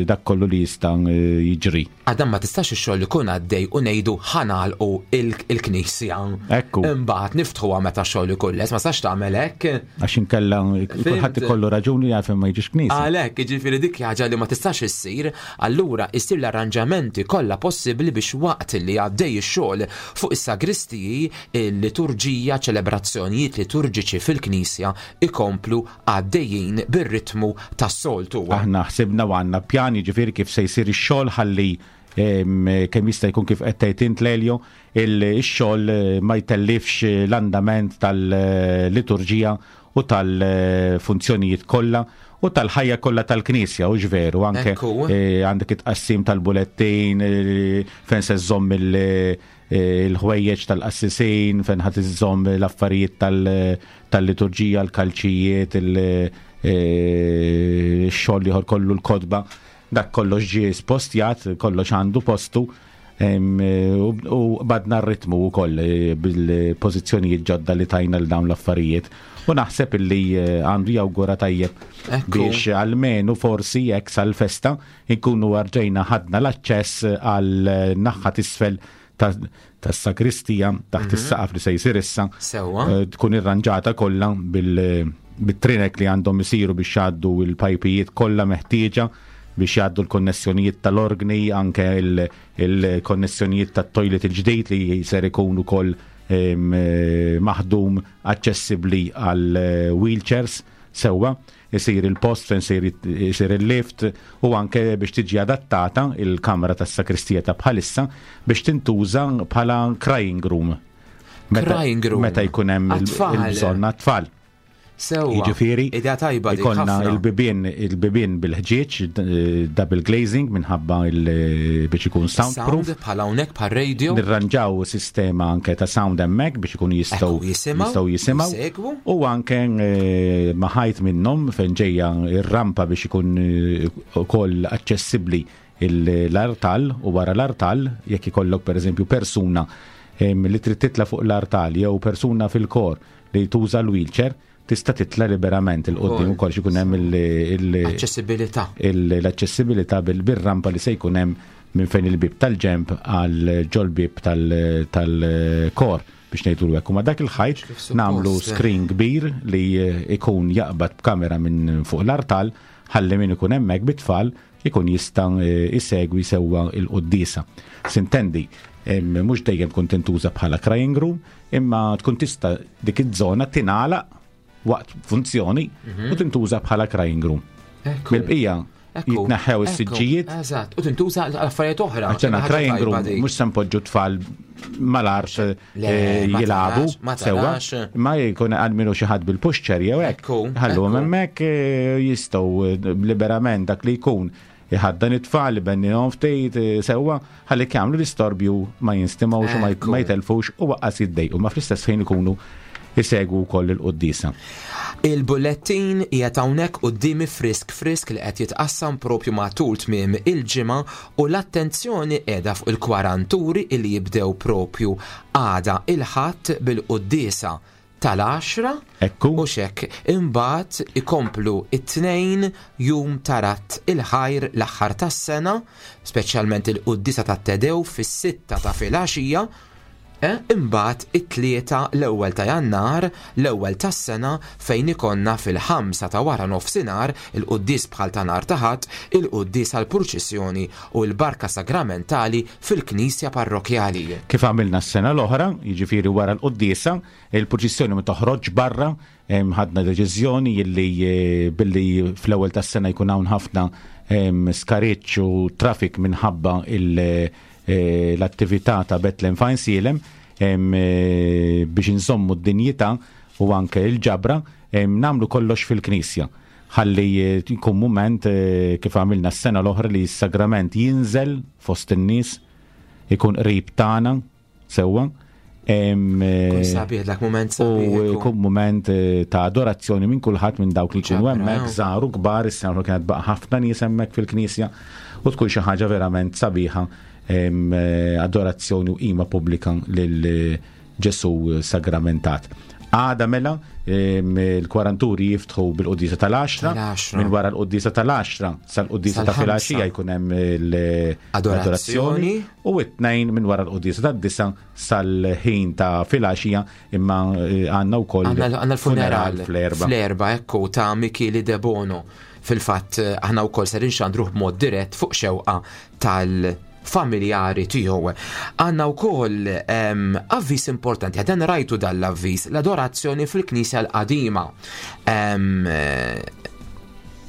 dak kollu li jista' jiġri. Għadam ma tistax ix-xogħol ikun għaddej u ngħidu ħa nagħlqu il-knisja. Ekku. Imbagħad niftħuha meta x-xogħol ikun lest, ma tistax tagħmel hekk. Għax inkella kulħadd ikollu raġuni għalfejn ma jiġix knisja. Għalhekk, jiġifieri dik ħaġa li ma tistax issir, allura issir l-arranġamenti kollha possibbli biex waqt li għaddej ix-xogħol fuq is-sagristiji, il-liturġija, ċelebrazzjonijiet liturġiċi fil-knisja ikomplu għaddejjin bir-ritmu tas-soltu. Aħna ħsibna u għandna pjan, jiġifieri kif se jsir ix-xogħol ħalli kemm jista' jkun kif qed tgħid int Lelio, ix-xogħol ma jtellifx l-andament tal-liturġija u tal-funzjonijiet kollha u tal-ħajja kollha tal-Knisja, u veru anke għandek it-tqassim tal-bulettin, fejn se żżomm il-ħwejjeġ tal-qassisin, fejn ħadd iżżomm l-affarijiet tal-liturġija, l-kalċijiet, il-xogħol ieħor kollu, l-kotba, dak kollox ġie spostjat, kollox għandu postu, u badna r-ritmu wkoll bil-pożizzjonijiet ġodda li tajna l dawn l-affarijiet. U naħseb illi għandu jawgura tajjeb biex almenu forsi jekk sal-festa nkunu rġajna ħadna l-aċċess għal naħa t'isfel tas-sakristija taħt is-saqaf li se jsir issa. Tkun irranġata kollha bit-trinek li għandhom isiru biex jgħaddu l-pajpijiet kollha meħtieġa biex jgħaddu l-konnessjonijiet tal-organi, anke il-konnessjonijiet tat-toilet il-ġdid li ser ikun ukoll maħdum aċċessibbli għal wheelchairs sewwa, isir il-post fejn isir il-lift, u anke biex tiġi adattata il-kamra tas-sakristija ta' bħalissa biex tintuża bħala crying room. Meta, Crying room. meta jkun hemm il- Għat-tfal. il-bżonn għat-tfal. Sewwa. Jiġifieri, Idea tajba dik ikollna ħafna. il-bibien il-bibien bil-ħġieġ, eh, double glazing minħabba il- biex ikun soundproof. Sound bħala hawnhekk bħal radio. Nirranġaw sistema anke ta' sound hemmhekk biex ikunu jistgħu Ekku, jisimgħu, jistgħu jisimgħu. jisegwu. U anke eh, ma' ħajt minnhom fejn ġejja ir-rampa biex ikun eh, ukoll aċċessibbli il- l-artal u wara l-artal jekk ikollok pereżempju persuna em, li trid titla fuq l-artal jew persuna fil-kor li tuża l-wheelchair tista' titla liberament il-qoddim ukoll xi jkun hemm il- il- Aċċessibilità. il- l-aċċessibilità bil- bil-rampa li se jkun hemm minn fejn il-bib tal-ġemp għal ġol-bib tal- tal-kor biex ngħidu l U ma dak il-ħajt suppost, nagħmlu eh. screen kbir li eh, ikun jaqbad b'kamera minn fuq l-artal ħalli min ikun hemmhekk bit-tfal ikun jista' eh, isegwi sewwa il-quddisa. Sintendi, em, mhux dejjem tkun tintuża bħala crying room, imma tkun tista' dik iż-żona tingħalaq waqt funzjoni Mhm. u tintuża bħala crying room. Ekku. Mill-bqija Ekku, jitneħħew ekku, is-siġġijiet Eżatt, u tintuża għal affarijiet oħra. Għaxena Ħaġa crying tajba room dik. mhux se npoġġu tfal mal-art Le, eh, ma jilagħbu tarax, ma sewwa, tarax. ma jkun għalminu xi ħadd bil-pushchair jew hekk. Ekku, Ħalluhom ekku. hemmhekk eh, jistgħu eh, liberament dak li jkun iħaddan it-tfal ibennihom ftit eh, sewwa ħalli jagħmlu l-istorbju ma jinstimgħux u ma Ekku. ma jtelfux u waqqas jiddejqu ma fl-istess ħin ikunu isegwu wkoll il-quddisa. Il-bullettin qiegħed hawnhekk quddiemi frisk frisk li qed jitqassam propju matul tmiem il-ġimgħa u l-attenzjoni qiegħda fuq il-kwaranturi li jibdew propju għada il-Ħadd bil-quddiesa tal-għaxra Ekku. u xek imbagħad ikomplu it-tnejn jum tarat il-ħajr l-aħħar tas-sena, speċjalment il-quddiesa tat-Tedew fis-sitta ta' filgħaxija. Eh, imbagħad it-tlieta l-ewwel ta' Jannar, l-ewwel tas-sena fejn ikonna fil-ħamsa ta' wara nofsinhar il-quddies bħal ta' nhar ta' Ħadd, il-quddies għall-purċissjoni u l-barka sagramentali fil-Knisja Parrokjali. Kif għamilna s-sena l-oħra, jiġifieri wara l-quddiesa, il-purċissjoni ma toħroġ barra, em, ħadna deċiżjoni illi eh, billi fl-ewwel tas-sena jkun hawn ħafna em, skariċ u trafik minħabba il- eh, l-attività ta' Bethlehem Fajnsielem em, eh, biex inżommu d-dinjità u anke il-ġabra em, namlu kollox fil-knisja ħalli eh, jkun moment eh, kif għamilna s-sena l-oħra li s-sagrament jinżel fost in-nies ikun qrib tagħna sewwa. Em, eh, Kun sabiħ dak moment U sabiħ. ekku. jkun moment eh, ta' adorazzjoni minn kulħadd minn dawk li jkunu Ġabra, hemmhekk no. żgħar u kbar, is-sena l-oħra kienet baqa' ħafna nies hemmhekk fil-knisja u tkun xi ħaġa verament sabiħa em, eh, adorazzjoni u qima pubblika lil eh, Ġesu sagramentat. Għada mela em, il-kwaranturi jiftħu bil-qudisa tal-għaxra, Tal-għaxra. minn wara l-qudisa tal-għaxra sal-qudisa ta' Sal-ħamsa. filgħaxija jkun hemm Adorazzjoni. l-adorazzjoni u it-tnejn minn wara l-qudisa tad-disa sal-ħin ta' filgħaxija imma eh, għandna wkoll Għanna għanna l-funeral fl-erba. Fl-erba, ekku, ta' Michele De Bono. Fil-fatt, eh, aħna wkoll ser inxandruh b'mod dirett fuq xewqa tal-familjari tiegħu. Għanna wkoll em, avviż importanti, għadan rajtu dal-avviż, l-adorazzjoni fil-Knisja l-qadima. Em, eh,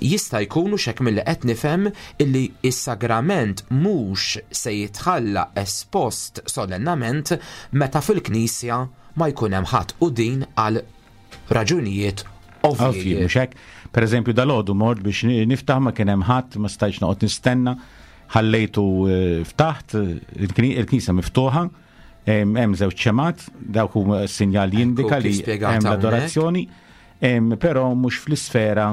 jista' jkunu xek mill qed nifhem illi is-sagrament mhux se jitħalla espost solennament meta fil-knisja ma jkun hemm ħadd u din għal raġunijiet Ovvji, ovvji. mhux hekk. Per eżempju, dal-għodu mort biex niftaħ ma kien hemm ħadd, ma stajtx noqgħod nistenna, ħallejtu eh, ftaħt, il-kni- il-knisja miftuħa, em, hemm żewġ ċemat, dawk huma sinjal jindika kif li spjegat hemm hawnhekk. l-adorazzjoni, em, però mhux fl-isfera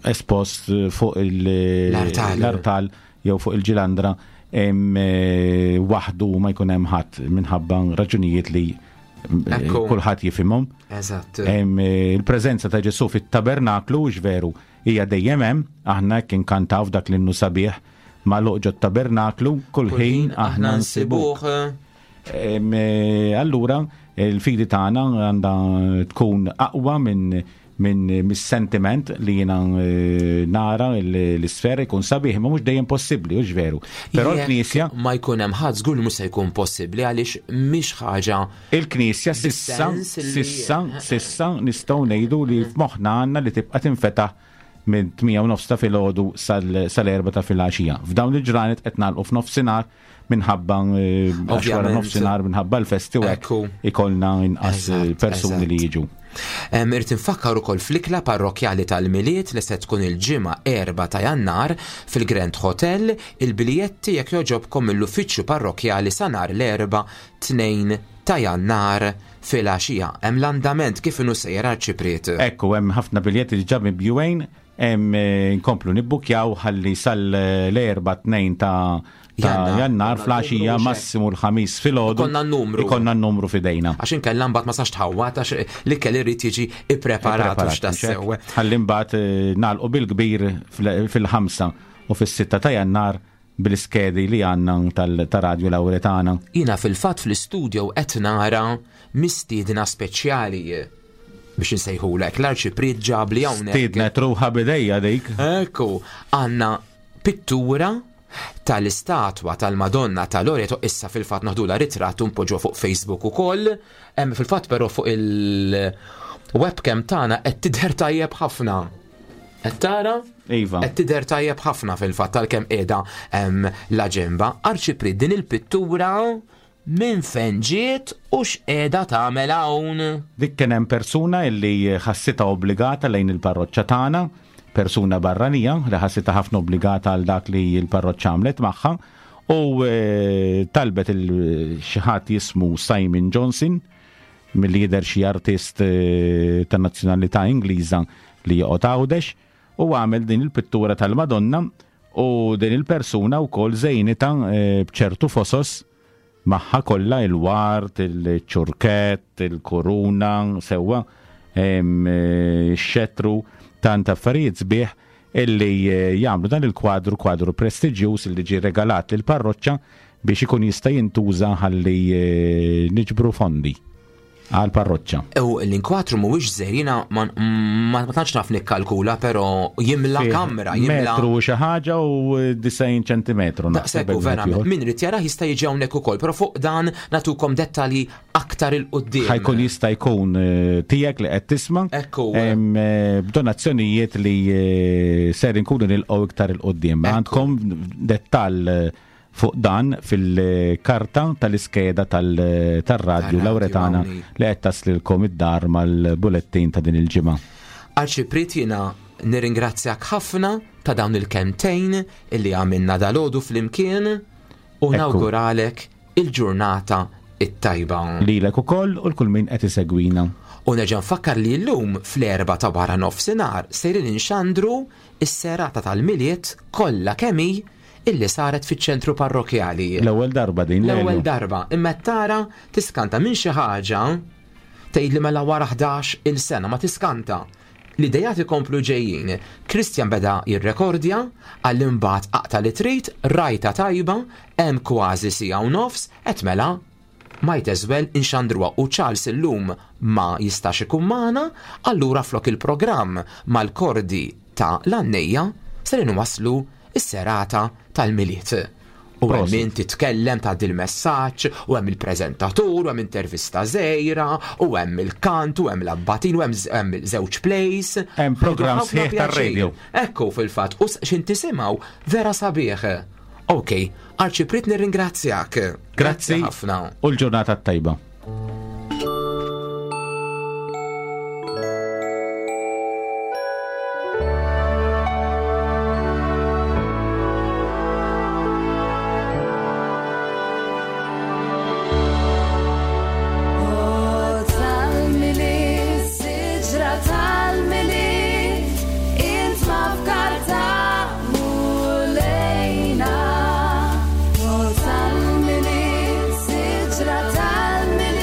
espost eh, fuq il- L-artal. l-artal jew fuq il-ġilandra em, eh, waħdu ma jkun hemm ħadd minħabba raġunijiet li eh, Ekku. kulħadd jifhimhom. Eżatt. Em, eh, Il-preżenza ta' Ġesu fit-tabernaklu hux veru hija dejjem hemm, aħna kien kantaw f'dak l-innu sabiħ ma' loqġo tabernaklu kull ħin aħna nsibuh. Em, eh, Allura il-fidi tagħna għandha tkun aqwa minn minn mis-sentiment li jiena eh, nara l- l-isfera jkun sabiħ, ma mhux dejjem possibbli, hux veru. Però Jekk l-Knisja ma jkun hemm ħadd żgur li mhux se jkun possibbli għaliex mhix ħaġa Il-Knisja sissa, Bis-sens li- sissa, sissa nistgħu ngħidu li f'moħħna għandna li tibqa' tinfetaħ minn tmienja u nofs ta' filgħodu sal-erba ta' filgħaxija. F'dawn il-ġranet qed nagħlqu f'nofsinhar minħabba eh, għax wara nofsinhar minħabba l-festi u hekk ikollna inqas persuni li jiġu. Irrid infakkar ukoll fl-ikla parrokjali tal-Milied li se tkun il-ġimgħa erba' ta' Jannar fil-Grand Hotel, il-biljetti jekk joġobkom mill-uffiċċju parrokjali sa nhar l-erba' tnejn ta' Jannar fil-għaxija. Hemm l-andament kif inhu sejjer Arċipriet. Ekku, hemm ħafna biljetti diġà mibjuwejn, hemm nkomplu nibbukjaw ħalli sal-erba' tnejn ta' ta' Jannar fl-għaxija massimu l-ħamis filgħodu. Ikonna n-numru. Ikonna n-numru f'idejna. Għax inkella mbagħad ma sax tħawwat għax l-ikel irid jiġi ippreparat u x'tassew. Ħalli mbagħad nagħlqu bil-kbir fil-ħamsa u fis-sitta ta' Jannar bil-iskedi li għandna ta' Radio Lauretana. Jiena fil-fatt fl-istudio qed nara mistiedna speċjali biex insejħulek l-Arċipriet ġabli hawnhekk. Stiednet ruħha bidejja dik. Ekku, għandna pittura tal-istatwa tal-Madonna ta' Loreto, issa fil-fatt naħdula ritratt u npoġġuha fuq Facebook ukoll. Hemm fil-fatt però fuq il-webcam tagħna qed tidher tajjeb ħafna. Qed tara? Iva. Qed tidher tajjeb ħafna fil-fatt tal-kemm qiegħda la ġemba. Arċipriet, din il-pittura minn fejn ġiet u x'qiegħda tagħmel hawn? Dik kien hemm persuna illi ħassitha obbligata lejn il-parroċċa tagħna, persuna barranija li ħassitha ħafna obbligata għal dak li l-parroċċa għamlet magħha, u talbet il xi ħadd jismu Simon Johnson, milli jidher xi artist ta' nazzjonalità Ingliża li joqgħod Għawdex, u għamel din il-pittura tal-Madonna, u din il-persuna wkoll żejnitha b'ċertu fosos magħha kollha, il-ward, il-ċurkett, il-kuruna, sewwa, x-xetru, tant affarijiet sbieħ illi jagħmlu dan il-kwadru, kwadru prestiġjuż illi ġie regalat lill parroċċa biex ikun jista' jintuża ħalli niġbru fondi għal parroċċa. U l-inkwatru mhuwiex żgħir, jiena ma tantx naf nikkalkula, però jimla kamra, jimla metru xi ħaġa u disgħin ċentimetru. Daqshekk u verament min irid jarah jista' jiġi hawnhekk ukoll, però fuq dan nagħtukom dettalji aktar il quddiem. Ħajkun jista' jkun tiegħek li qed tisma' Ekku. B'donazzjonijiet li ser inkunu nilqgħu iktar il quddiem. Għandkom dettall fuq dan fil-karta tal-iskeda tal-radju Lauretana li qed taslilkom id-dar mal-bulettin ta' din il-ġimgħa. Arċipriet, jiena nirringrazzjak ħafna ta' dawn il-kemtejn illi għamilna dalgħodu flimkien u nawguralek il-ġurnata it-tajba. Lilek ukoll u l-kull min qed isegwina. U nerġa' nfakkar li llum fl-erba' ta' wara nofsinhar sejrin inxandru s-serata tal-Milied kollha kemm hi illi saret fiċ-ċentru parrokjali. L-ewwel darba din. L-ewwel darba. Imma tara tiskanta minn xi ħaġa tgħid li mela wara ħdax il-sena ma tiskanta. L-idejat ikomplu ġejjin. Christian beda jirrekordja, għal imbagħad aqta' li trid, rajta tajba, hemm kważi siegħa u nofs, qed mela might as well inxandruha. U Charles illum ma jistax ikun magħna, allura flok il-programm mal-kordi ta' l-annejja ser inwasslu is-serata tal-Milied. U hemm min titkellem ta' dil-messaġġ, u hemm il-preżentatur, u hemm intervista żgħira, u hemm il-kant, u hemm l-abbatin, u hemm żewġ plays. Hemm programm sħiħ tar-radio. Ekku fil-fatt, u x'in tisimgħu vera sabiħ. Ok, Arċipriet nirringrazzjak. Grazzi ħafna. U l-ġurnata t-tajba. Tal-Milied, siġra tal-Milied,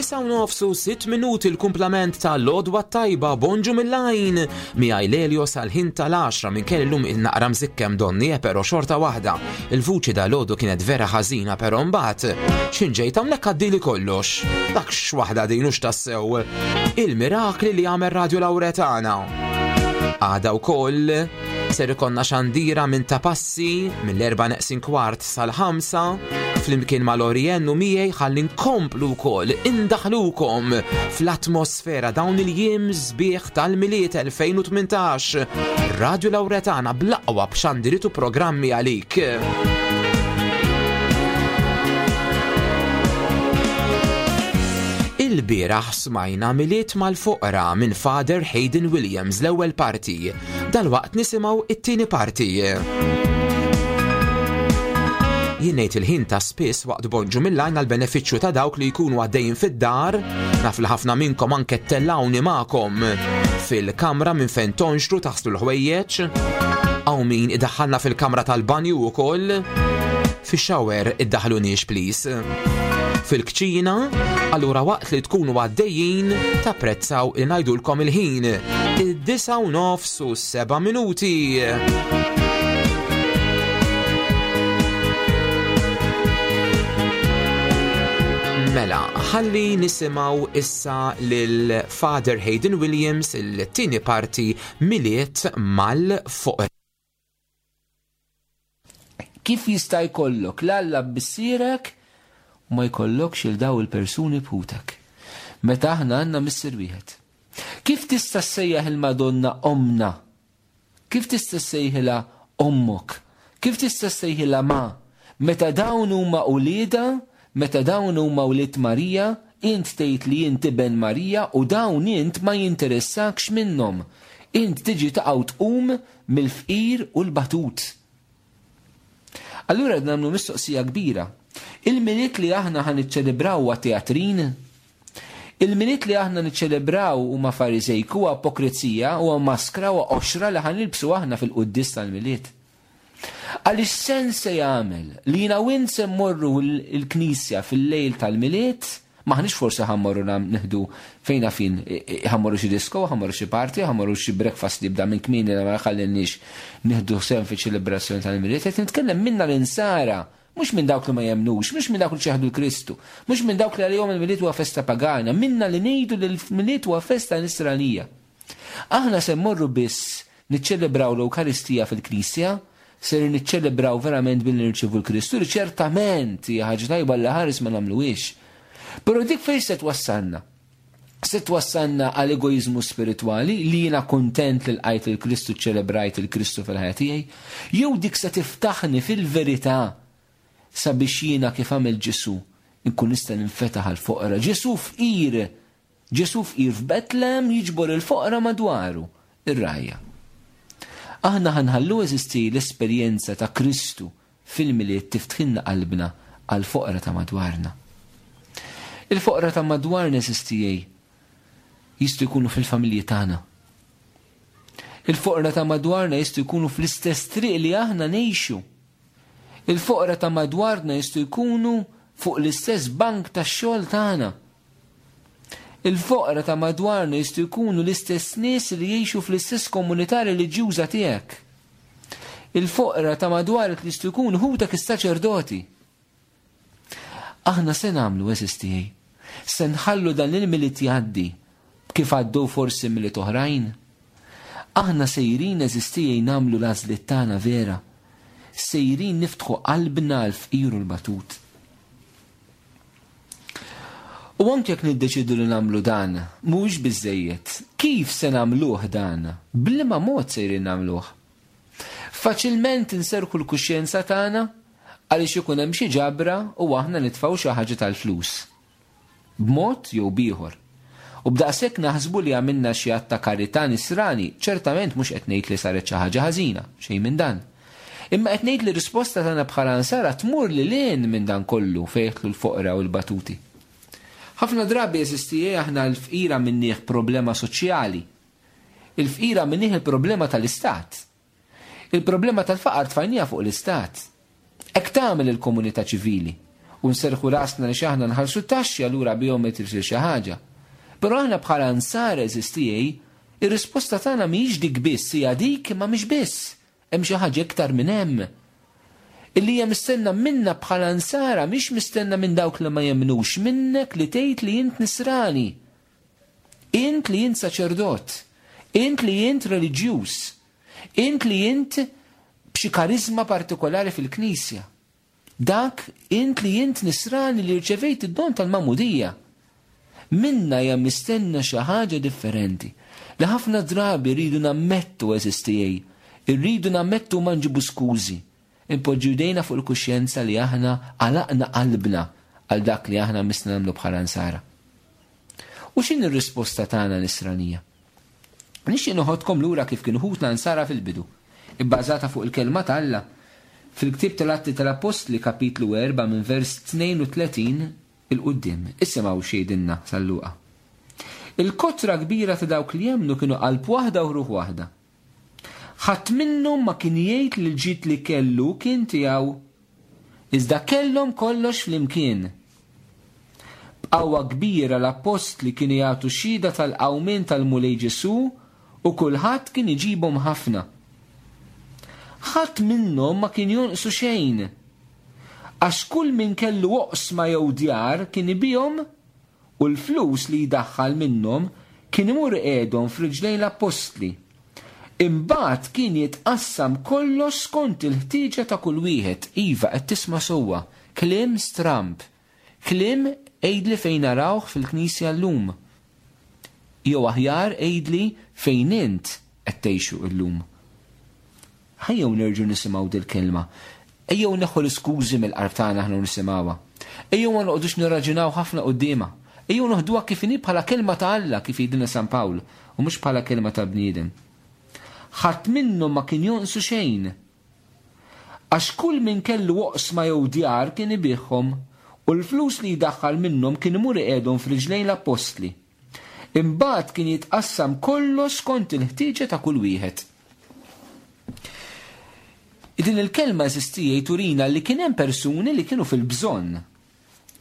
Id-disa u nofs u sitt minuti l-kumplament ta' Lodwa Tajba Bonġu mill-lajn. Miegħi Lelio sal-ħin tal-għaxra minn kelli llum il-naqra mżikkem donni, eh, però xorta waħda. Il-vuċi da Lodu kienet vera ħażina, però mbagħad x'inġejt hawnhekk għaddili kollox. Dak x'waħda din hux tassew. Il-mirakli li għamel Radio Lauretana. Għada wkoll ser ikonna xandira minn ta' passi mill-erba' neqsin kwart sal-ħamsa flimkien ma' Lorien u miegħi ħalli nkomplu wkoll indaħlukom fl-atmosfera dawn il-jiem sbieħ tal-Milied elfejn u tmintax. Radio Lauretana bl-aqwa b'xandiritu programmi għalik. Il-bieraħ smajna Milied mal-Foqra minn Father Hayden Williams l-ewwel parti. Dalwaqt nisimgħu it-tieni parti. Jien ngħid il-ħin ta' spiss waqt Bonġu mill-lajn għall-benefiċċju ta' dawk li jkunu għaddejjin fid-dar, naf li ħafna minnkom anke tellawni magħkom fil-kamra minn fejn tonxru taħslu l-ħwejjeġ, hawn min idaħħalna fil-kamra tal-banju wkoll, fix-shower iddaħħluniex please. Fil-kċina, allura waqt li tkunu għaddejjin tapprezzaw li ngħidulkom il-ħin. Id-disa u nofs u seba' minuti. Mela, ħalli nisimgħu issa lil Father Hayden Williams il-tieni parti Milied mal-Foqra. Kif jista' jkollok l-Alla b'missierek u ma jkollokx il daw il-persuni b'ħutek? Meta aħna għandna missier wieħed. Kif tista' ssejjaħ il-Madonna omna? Kif tista' ssejħilha ommok? Kif tista' ssejħilha ma? Meta dawn huma ulieda, meta dawn huma wlied Marija, int tgħid li int iben Marija u dawn int ma jinteressakx minnhom. Int tiġi taqgħu tqum mill-fqir u l-batut. Allura nagħmlu mistoqsija kbira. Il-Milied li aħna ħa niċċelebraw huwa teatrin? Il-Milied li aħna niċċelebraw huma fariżejk, huwa ipokrizija, huwa maskra, huwa qoxra li ħa nilbsu aħna fil-quddis tal-Milied. Għaliex sens se jagħmel li jiena u int se mmorru l-knisja fil-lejl tal-Milied, maħniex forsi ħa mmorru nieħdu fejn fin, ħa mmorru xi disco, ħa mmorru xi party, ħa mmorru xi breakfast li jibda minn kmieni li ma jħallinniex nieħdu sehem fiċ-ċelebrazzjoni tal-Milied. Qed nitkellem minna l-insara, mhux minn dawk li ma jemnux, mhux minn dawk li ċeħdu l-Kristu, mhux minn dawk li għalihom il-Milied huwa festa pagana, minna li ngħidu li l-Milied huwa festa nisranija. Aħna se mmorru biss niċċelebraw l-Ewkaristija fil-Knisja, ser niċċelebraw verament billi nirċievu l-Kristu, li ċertament hija ħaġa tajba li ħares ma nagħmluhiex. Però dik fejn se twassalna? Se twassalna għal egoizmu spiritwali li jiena kontent li lqajt il-Kristu, ċelebrajt il-Kristu fil-ħajja tiegħi, jew dik se tiftaħni fil-verità sabiex jiena kif għamel Ġesu nkun nista' ninfetaħ għal foqra. Ġesu fqir, Ġesu fqir f'Betlem jiġbor il-foqra madwaru, ir-rajja. Aħna ħanħallu eżisti l-esperjenza ta' Kristu fil-Milied tiftħilna qalbna għal foqra ta' madwarna. Il-foqra ta' madwarna eżistijej jistgħu jkunu fil-familji tagħna. Il-foqra ta' madwarna jistgħu jkunu fl-istess triq li aħna ngħixu. Il-foqra ta' madwarna jistgħu jkunu fuq l-istess bank tax-xogħol tagħna. Il-foqra ta' madwarna jistgħu jkunu l-istess nies li jgħixu fl-istess komunità reliġjuża tiegħek. Il-foqra ta' madwarek li jistgħu jkunu ħutek is-saċerdoti. Aħna se nagħmlu eżistijej. Se nħallu dan il-Milied jgħaddi kif għaddew forsi Milied oħrajn. Aħna sejrin eżistijej nagħmlu l-għażliet tagħna vera. Sejrin niftħu qalbna għal fqir u l-batut. U anke jekk niddeċidu li nagħmlu dan, mhuwiex biżejjed. Kif se nagħmluh dan? B'liema mod sejrin nagħmluh? Faċilment inserħu l-kuxjenza tagħna għaliex ikun hemm xi ġabra u aħna nitfgħu xi ħaġa tal-flus. B'mod jew b'ieħor. U b'daqshekk naħsbu li għamilna xi att ta' karità nisrani, ċertament mhux qed ngħid li saret xi ħaġa ħażina, xejn minn dan. Imma qed ngħid li r-risposta tagħna bħala nsara tmur lil hinn minn dan kollu fejn jidħlu l-foqra u l-batuti. Ħafna drabi jeżisti aħna l-fqira minnieh problema soċjali. Il-fqira minnieh il-problema tal-istat. Il-problema tal-faqar tfajnija fuq l-istat. Hekk tagħmel il-komunità ċivili. U nserħu rasna li x'aħna nħallsu t-taxxi allura bihom qed isir xi ħaġa. Però aħna bħala nsara għeżież tiegħi, ir-risposta tagħna mhijiex dik biss, hija dik imma mhix biss. Hemm xi ħaġa iktar minn hemm. Illi hija mistenna minna bħala nsara mhix mistenna minn dawk li ma jemmnux, minnek li tgħid li int nisrani. Int li int saċerdot, int li int reliġjuż, int li int b'xi karizma partikolari fil-Knisja. Dak int li int nisrani li rċevejt id-don tal-magħmudija. Minna hija mistenna xi ħaġa differenti li ħafna drabi rridu nammettu għeżież tiegħi, irridu nammettu ma nġibu skużi. Impoġġu jdejna fuq il-kuxjenza li aħna għalaqna qalbna għal dak li aħna misna nagħmlu bħala nsara. U x'in ir-risposta tagħna nisranija? Nixtieq noħodkom lura kif kienu ħutna nsara fil-bidu, ibbażata fuq il-kelma t'Alla. Fil-ktieb tal-Atti tal-Appostli kapitlu erba' minn vers tnejn u tletin il-quddiem. Isimgħu x'jgħidilna San Luqa. Il-kotra kbira ta' dawk li jemmnu kienu qalb waħda u ruħ waħda. Ħadd minnhom ma kien jgħid li l-ġid li kellu kien tiegħu, iżda kellhom kollox flimkien. B'qawwa kbira l-appostli kienu jagħtu xhieda tal-qawmien tal-Mulej Ġesù u kulħadd kien iġibhom ħafna. Ħadd minnhom ma kien jonqsu xejn, għax kull min kellu oqsma jew djar kien ibihom u l-flus li jdaħħal minnhom kien imur iqiegħdhom f'riġlejn l-appostli. Imbagħad kien jitqassam kollox skont il-ħtieġa ta' kull wieħed. Iva, qed tisma' sewwa, kliem stramb, kliem għidli fejn narawh fil-Knisja llum. Jew aħjar għidli fejn int qed tgħixu llum. Ħajjew nerġgħu nisimgħu dil-kelma. Ejjew neħu l-iskużi mill-qalb tagħna aħna nisimgħuha. Ejjew ma noqogħdux nirraġunaw ħafna quddiemha. Ejjew noħduha kif inhi bħala kelma ta' Alla kif jgħidilna San Pawl u mhux bħala kelma ta' bniedem. Ħadd minnhom ma kien jonqsu xejn. Għax kull min kellu oqsma jew djar kien ibigħhom u l-flus li jdaħħal minnhom kien imur iqiegħdhom f'riġlejn l-appostli. Imbagħad kien jitqassam kollox skont il-ħtieġa ta' kull wieħed. Din il-kelma eżistija turina li kien hemm persuni li kienu fil-bżonn.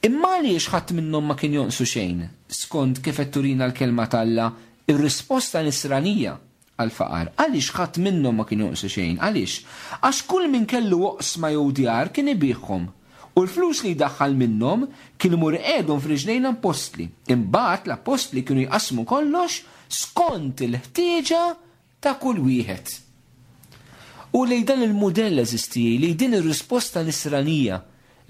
Imma għaliex ħadd minnhom ma kien jonqsu xejn, skont kif qed turina l-kelma t'Alla, ir-risposta nisranija għal-faqar. Għaliex ħadd minnhom ma kien jonqsu xejn? Għaliex? Għax kull min kellu oqsma jew djar kien ibigħhom u l-flus li jdaħħal minnhom kien imur iqiegħdhom f'riġlejn l-appostli. Imbagħad l-appostli kienu jqassmu kollox skont il-ħtieġa ta' kull wieħed. U li dan il-mudell eżisti, li din ir-risposta nisranija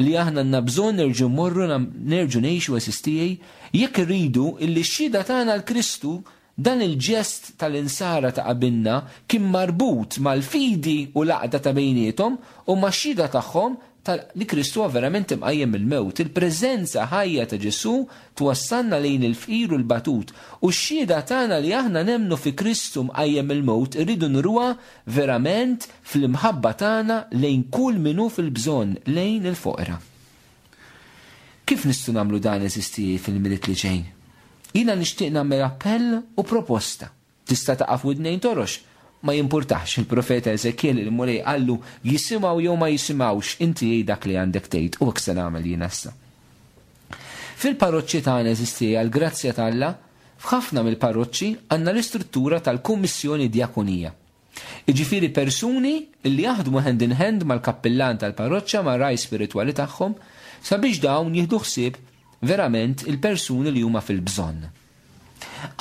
li aħna għandna bżonn nerġgħu mmorru nerġgħu ngħixu eżistijaj, jekk irridu illi x-xhieda tagħna l Kristu dan il-ġest tal-insara ta' qabilna kien marbut mal-fidi u l-għaqda ta' bejniethom u max-xhieda tagħhom li Kristu huwa verament imqajjem mill-mewt. Il-preżenza ħajja ta' Ġesù twassalna lejn il-fqir u l-batut u x-xhieda tagħna li aħna nemmnu fi Kristu mqajjem mill-mewt irridu nruha verament fl-imħabba tagħna lejn kull min hu fil-bżonn, lejn il-foqra. Kif nistgħu nagħmlu dan eżisti fil-Milied li ġej? Jiena nixtieq nagħmel appell u proposta. Tista' taqa' f'widnejn torox, ma jimpurtax. Il-profeta Ezekiel il-Mulej qallu jisimgħu jew ma jisimgħux, inti għid dak li għandek tgħid u hekk se nagħmel jien issa. Fil-parroċċi tagħna eżisti għall-grazzja t'Alla, f'ħafna mill-parroċċi għandna l-istruttura tal-Kummissjoni Djakonija. Jiġifieri persuni li jaħdmu hand in hand mal-kappillan tal-parroċċa mar-ragħaj spiritwali tagħhom sabiex dawn jieħdu ħsieb verament il-persuni li huma fil-bżonn.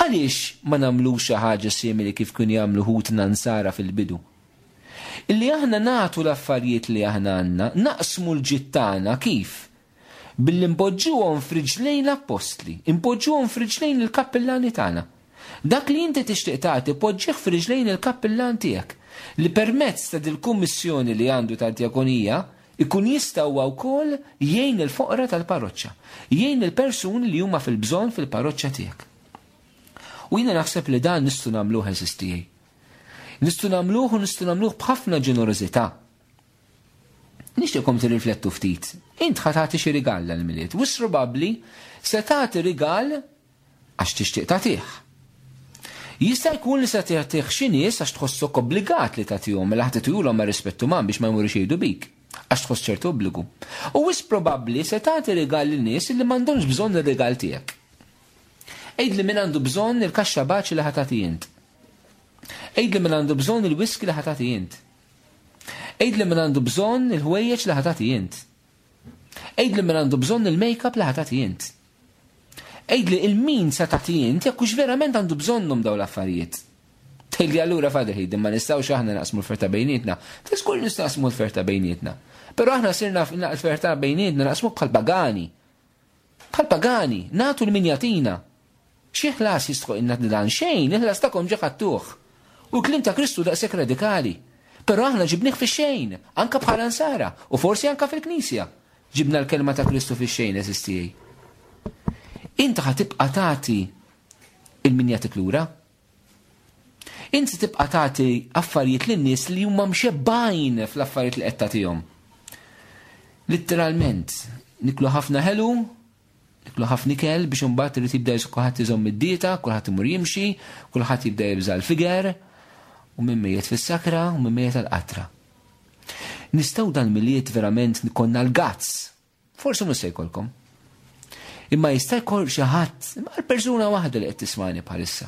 Għaliex ma nagħmlux xi ħaġa simili kif kienu jagħmlu ħutna nsara fil-bidu? Illi aħna nagħtu l-affarijiet li aħna għandna, naqsmu l-ġid tagħna kif? Billi npoġġuhom f'riġlejn l-appostli, npoġġuhom f'riġlejn il-kappillani tagħna. Dak li inti tixtieq tagħti poġġih f'riġlejn il-kappillan tiegħek, li permezz ta' dil-kummissjoni li għandu tad-djakonija ikun jista' huwa wkoll jgħin il-foqra tal-parroċċa, jgħin il-persuni li huma fil-bżonn fil-parroċċa tiegħek. U jiena naħseb li dan nistgħu nagħmluh eżistijaj. Nistgħu nagħmluh u nistgħu nagħmluh b'ħafna ġenerożità. Nixtieqkom tirriflettu ftit. Int ħa tagħti xi rigal għall-Milied. Wis probabbli se tagħti rigal għax tixtieq tagħtih. Jista' jkun li se tagħtih xi nies għax tħossok obbligat li tagħtihom, mela ħa tagħtihulhom ma' rispett uman biex ma jmurux jgħidu bik. Għax tħoss ċertu obbligu. U wis probabbli se tagħti rigal lil nies li m'għandhomx bżonn ir-rigal tiegħek. Għid li min għandu bżonn il-kaxxa baċi li ħa tagħti int. Għid li min għandu bżonn il-whisky li ħa tagħti int. Għid li min għandu bżonn il-ħwejjeġ li ħa tagħti int. Għid li min għandu bżonn il-make-up li ħa tagħti int. Għid li il-min se tagħti int jekk hux verament għandu bżonnhom dawn l-affarijiet. Tgħidli allura Father Hayden ma nistgħux aħna naqsmu l-ferta bejnietna. Żgur nistgħu naqsmu l-ferta bejnietna. Però aħna sirna l-ferta bejnietna naqsmu bħal pagani. Bħal pagani, nagħtu l-min jagħtina. Xi ħlas jistħoq dan xejn, il-ħlas tagħkom ġa ħadtuh. U l-kliem ta' Kristu daqshekk radikali. Però aħna ġibnih fix-xejn, anka bħala nsara, u forsi anka fil-Knisja. Ġibna l-kelma ta' Kristu fix-xejn, eżistijaj. Inta ħa tibqa' tagħti il-min jagħtik lura. Inti tibqa' tagħti affarijiet lin-nies li huma mxebbajn fl-affarijiet li qed tagħtihom. Litteralment, niklu ħafna ħelu, niklu ħafna ikel biex imbagħad irid jibda kulħadd iżomm id-dieta, kulħadd imur jimxi, kulħadd jibda jibża' l-figer, u minn mejjet fis-sakra u minn mejjet għall-qatra. Nistgħu dan Milied verament konna l-gazz. Forsi mhux se jkollkom. Imma jista' jkoll xi ħadd, imma l-persuna waħda li qed tismani bħalissa.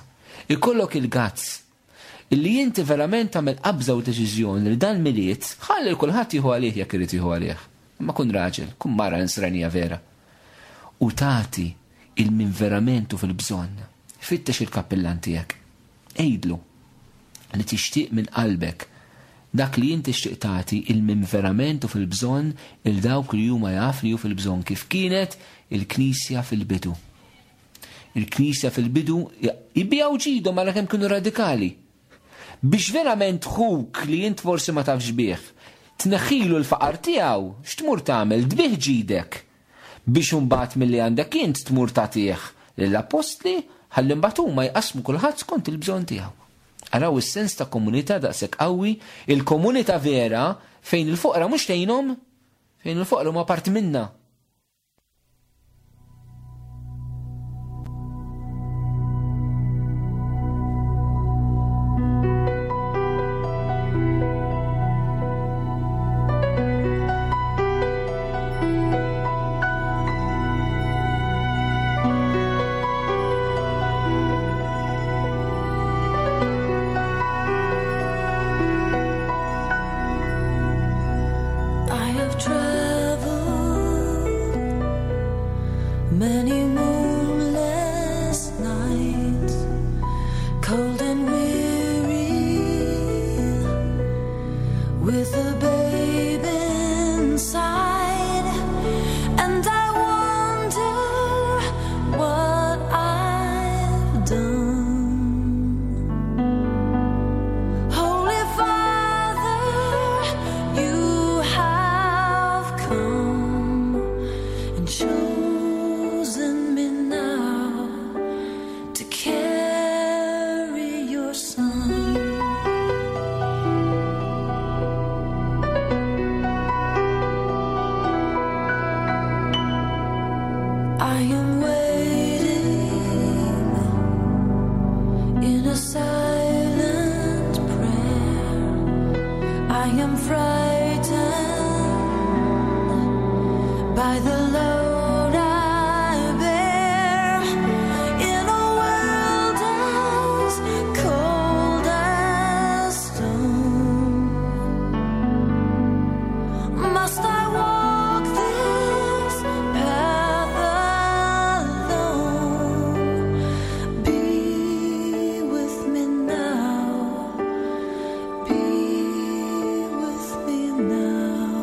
Ikollok il-gazz illi inti verament tagħmel qabża u deċiżjoni li dan Milied ħalli kulħadd jieħu għalih jekk irid jieħu għalih. Imma kun raġel, kun mara nisranija vera. U tagħti il-min verament hu fil-bżonn. Fittex il-kappillan tiegħek. Għidlu li tixtieq minn qalbek dak li inti tixtieq tagħti il-min verament hu fil-bżonn il dawk li huma jaf li hu fil-bżonn kif kienet il-Knisja fil-bidu. Il-Knisja fil-bidu jibbijaw ġidhom għal kemm kienu radikali. Biex verament ħuk li int forsi ma tafx bih, tneħħilu l-faqar tiegħu, x'tmur tagħmel? Tbih ġidek. Biex imbagħad milli għandek int tmur tagħtih lill-appostli ħalli mbagħad huma jqasmu kulħadd skont il-bżonn tiegħu. Araw is-sens ta' komunità daqshekk qawwi, il-komunità vera fejn il-foqra mhux tgħinhom, fejn il-foqra huma parti minna. I have traveled many moonless nights, cold and weary, with a babe inside, and I wonder what I've done. Holy Father, you have come and chosen me now to carry your son. I am waiting in a silent prayer. I am frightened by the load I bear in a world as cold as stone. Must I walk this path alone? Be with me now. Be with me now.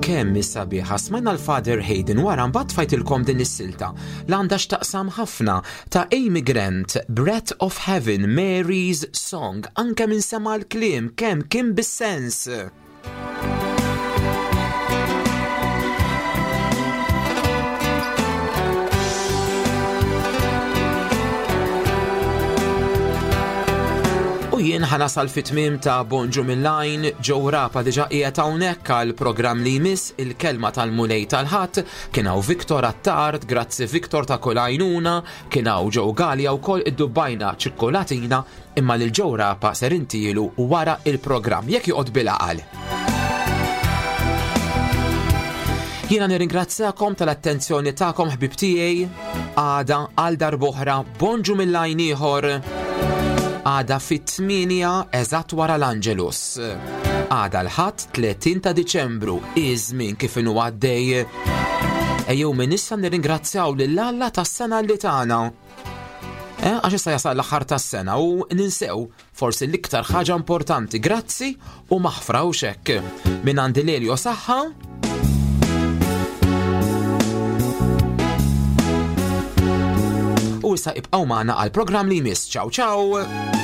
Kemm sabiħa smajna l-Father Hayden wara mbagħad tfajtilkom din is-silta l għandha x'taqsam ħafna ta' Amy Grant, Breath of Heaven, Mary's Song, anke minn sema l-kliem kemm kien bis-sens. U jien ħanasal fit-tmiem ta' Bonġu mill-Lajn, Joe Rapa diġa qiegħed hawnhekk għal programm li jmiss il-kelma tal-Mulej tal-Ħadd, kien hawn Viktor Attard, grazzi Viktor ta' kull għajnuna, kien hawn Joe Galea wkoll iddubbajna ċikkolatina, imma lil Joe Rapa ser intielu wara il-programm jekk joqgħod bil-għaqal. Jiena nirringrazzjakom tal-attenzjoni tagħkom ħbib tiegħi, għada għal darb'oħra Bonġu mill-Lajn ieħor. Għada fit-tmienja eżatt wara l-Angelus. Għada l-Ħadd tletin ta' Diċembru, iż-żmien kif inhu għaddej. Ejjew minn issa nirringrazzjaw lil Alla tas-sena li tagħna. Eh, għax issa jasal l-aħħar tas-sena u ninsew forsi l-iktar ħaġa importanti, grazzi u maħfra u xekk. Minn għandi Lelio saħħa. U issa ibqgħu magħna għal programm li jmiss. Ciao ciao!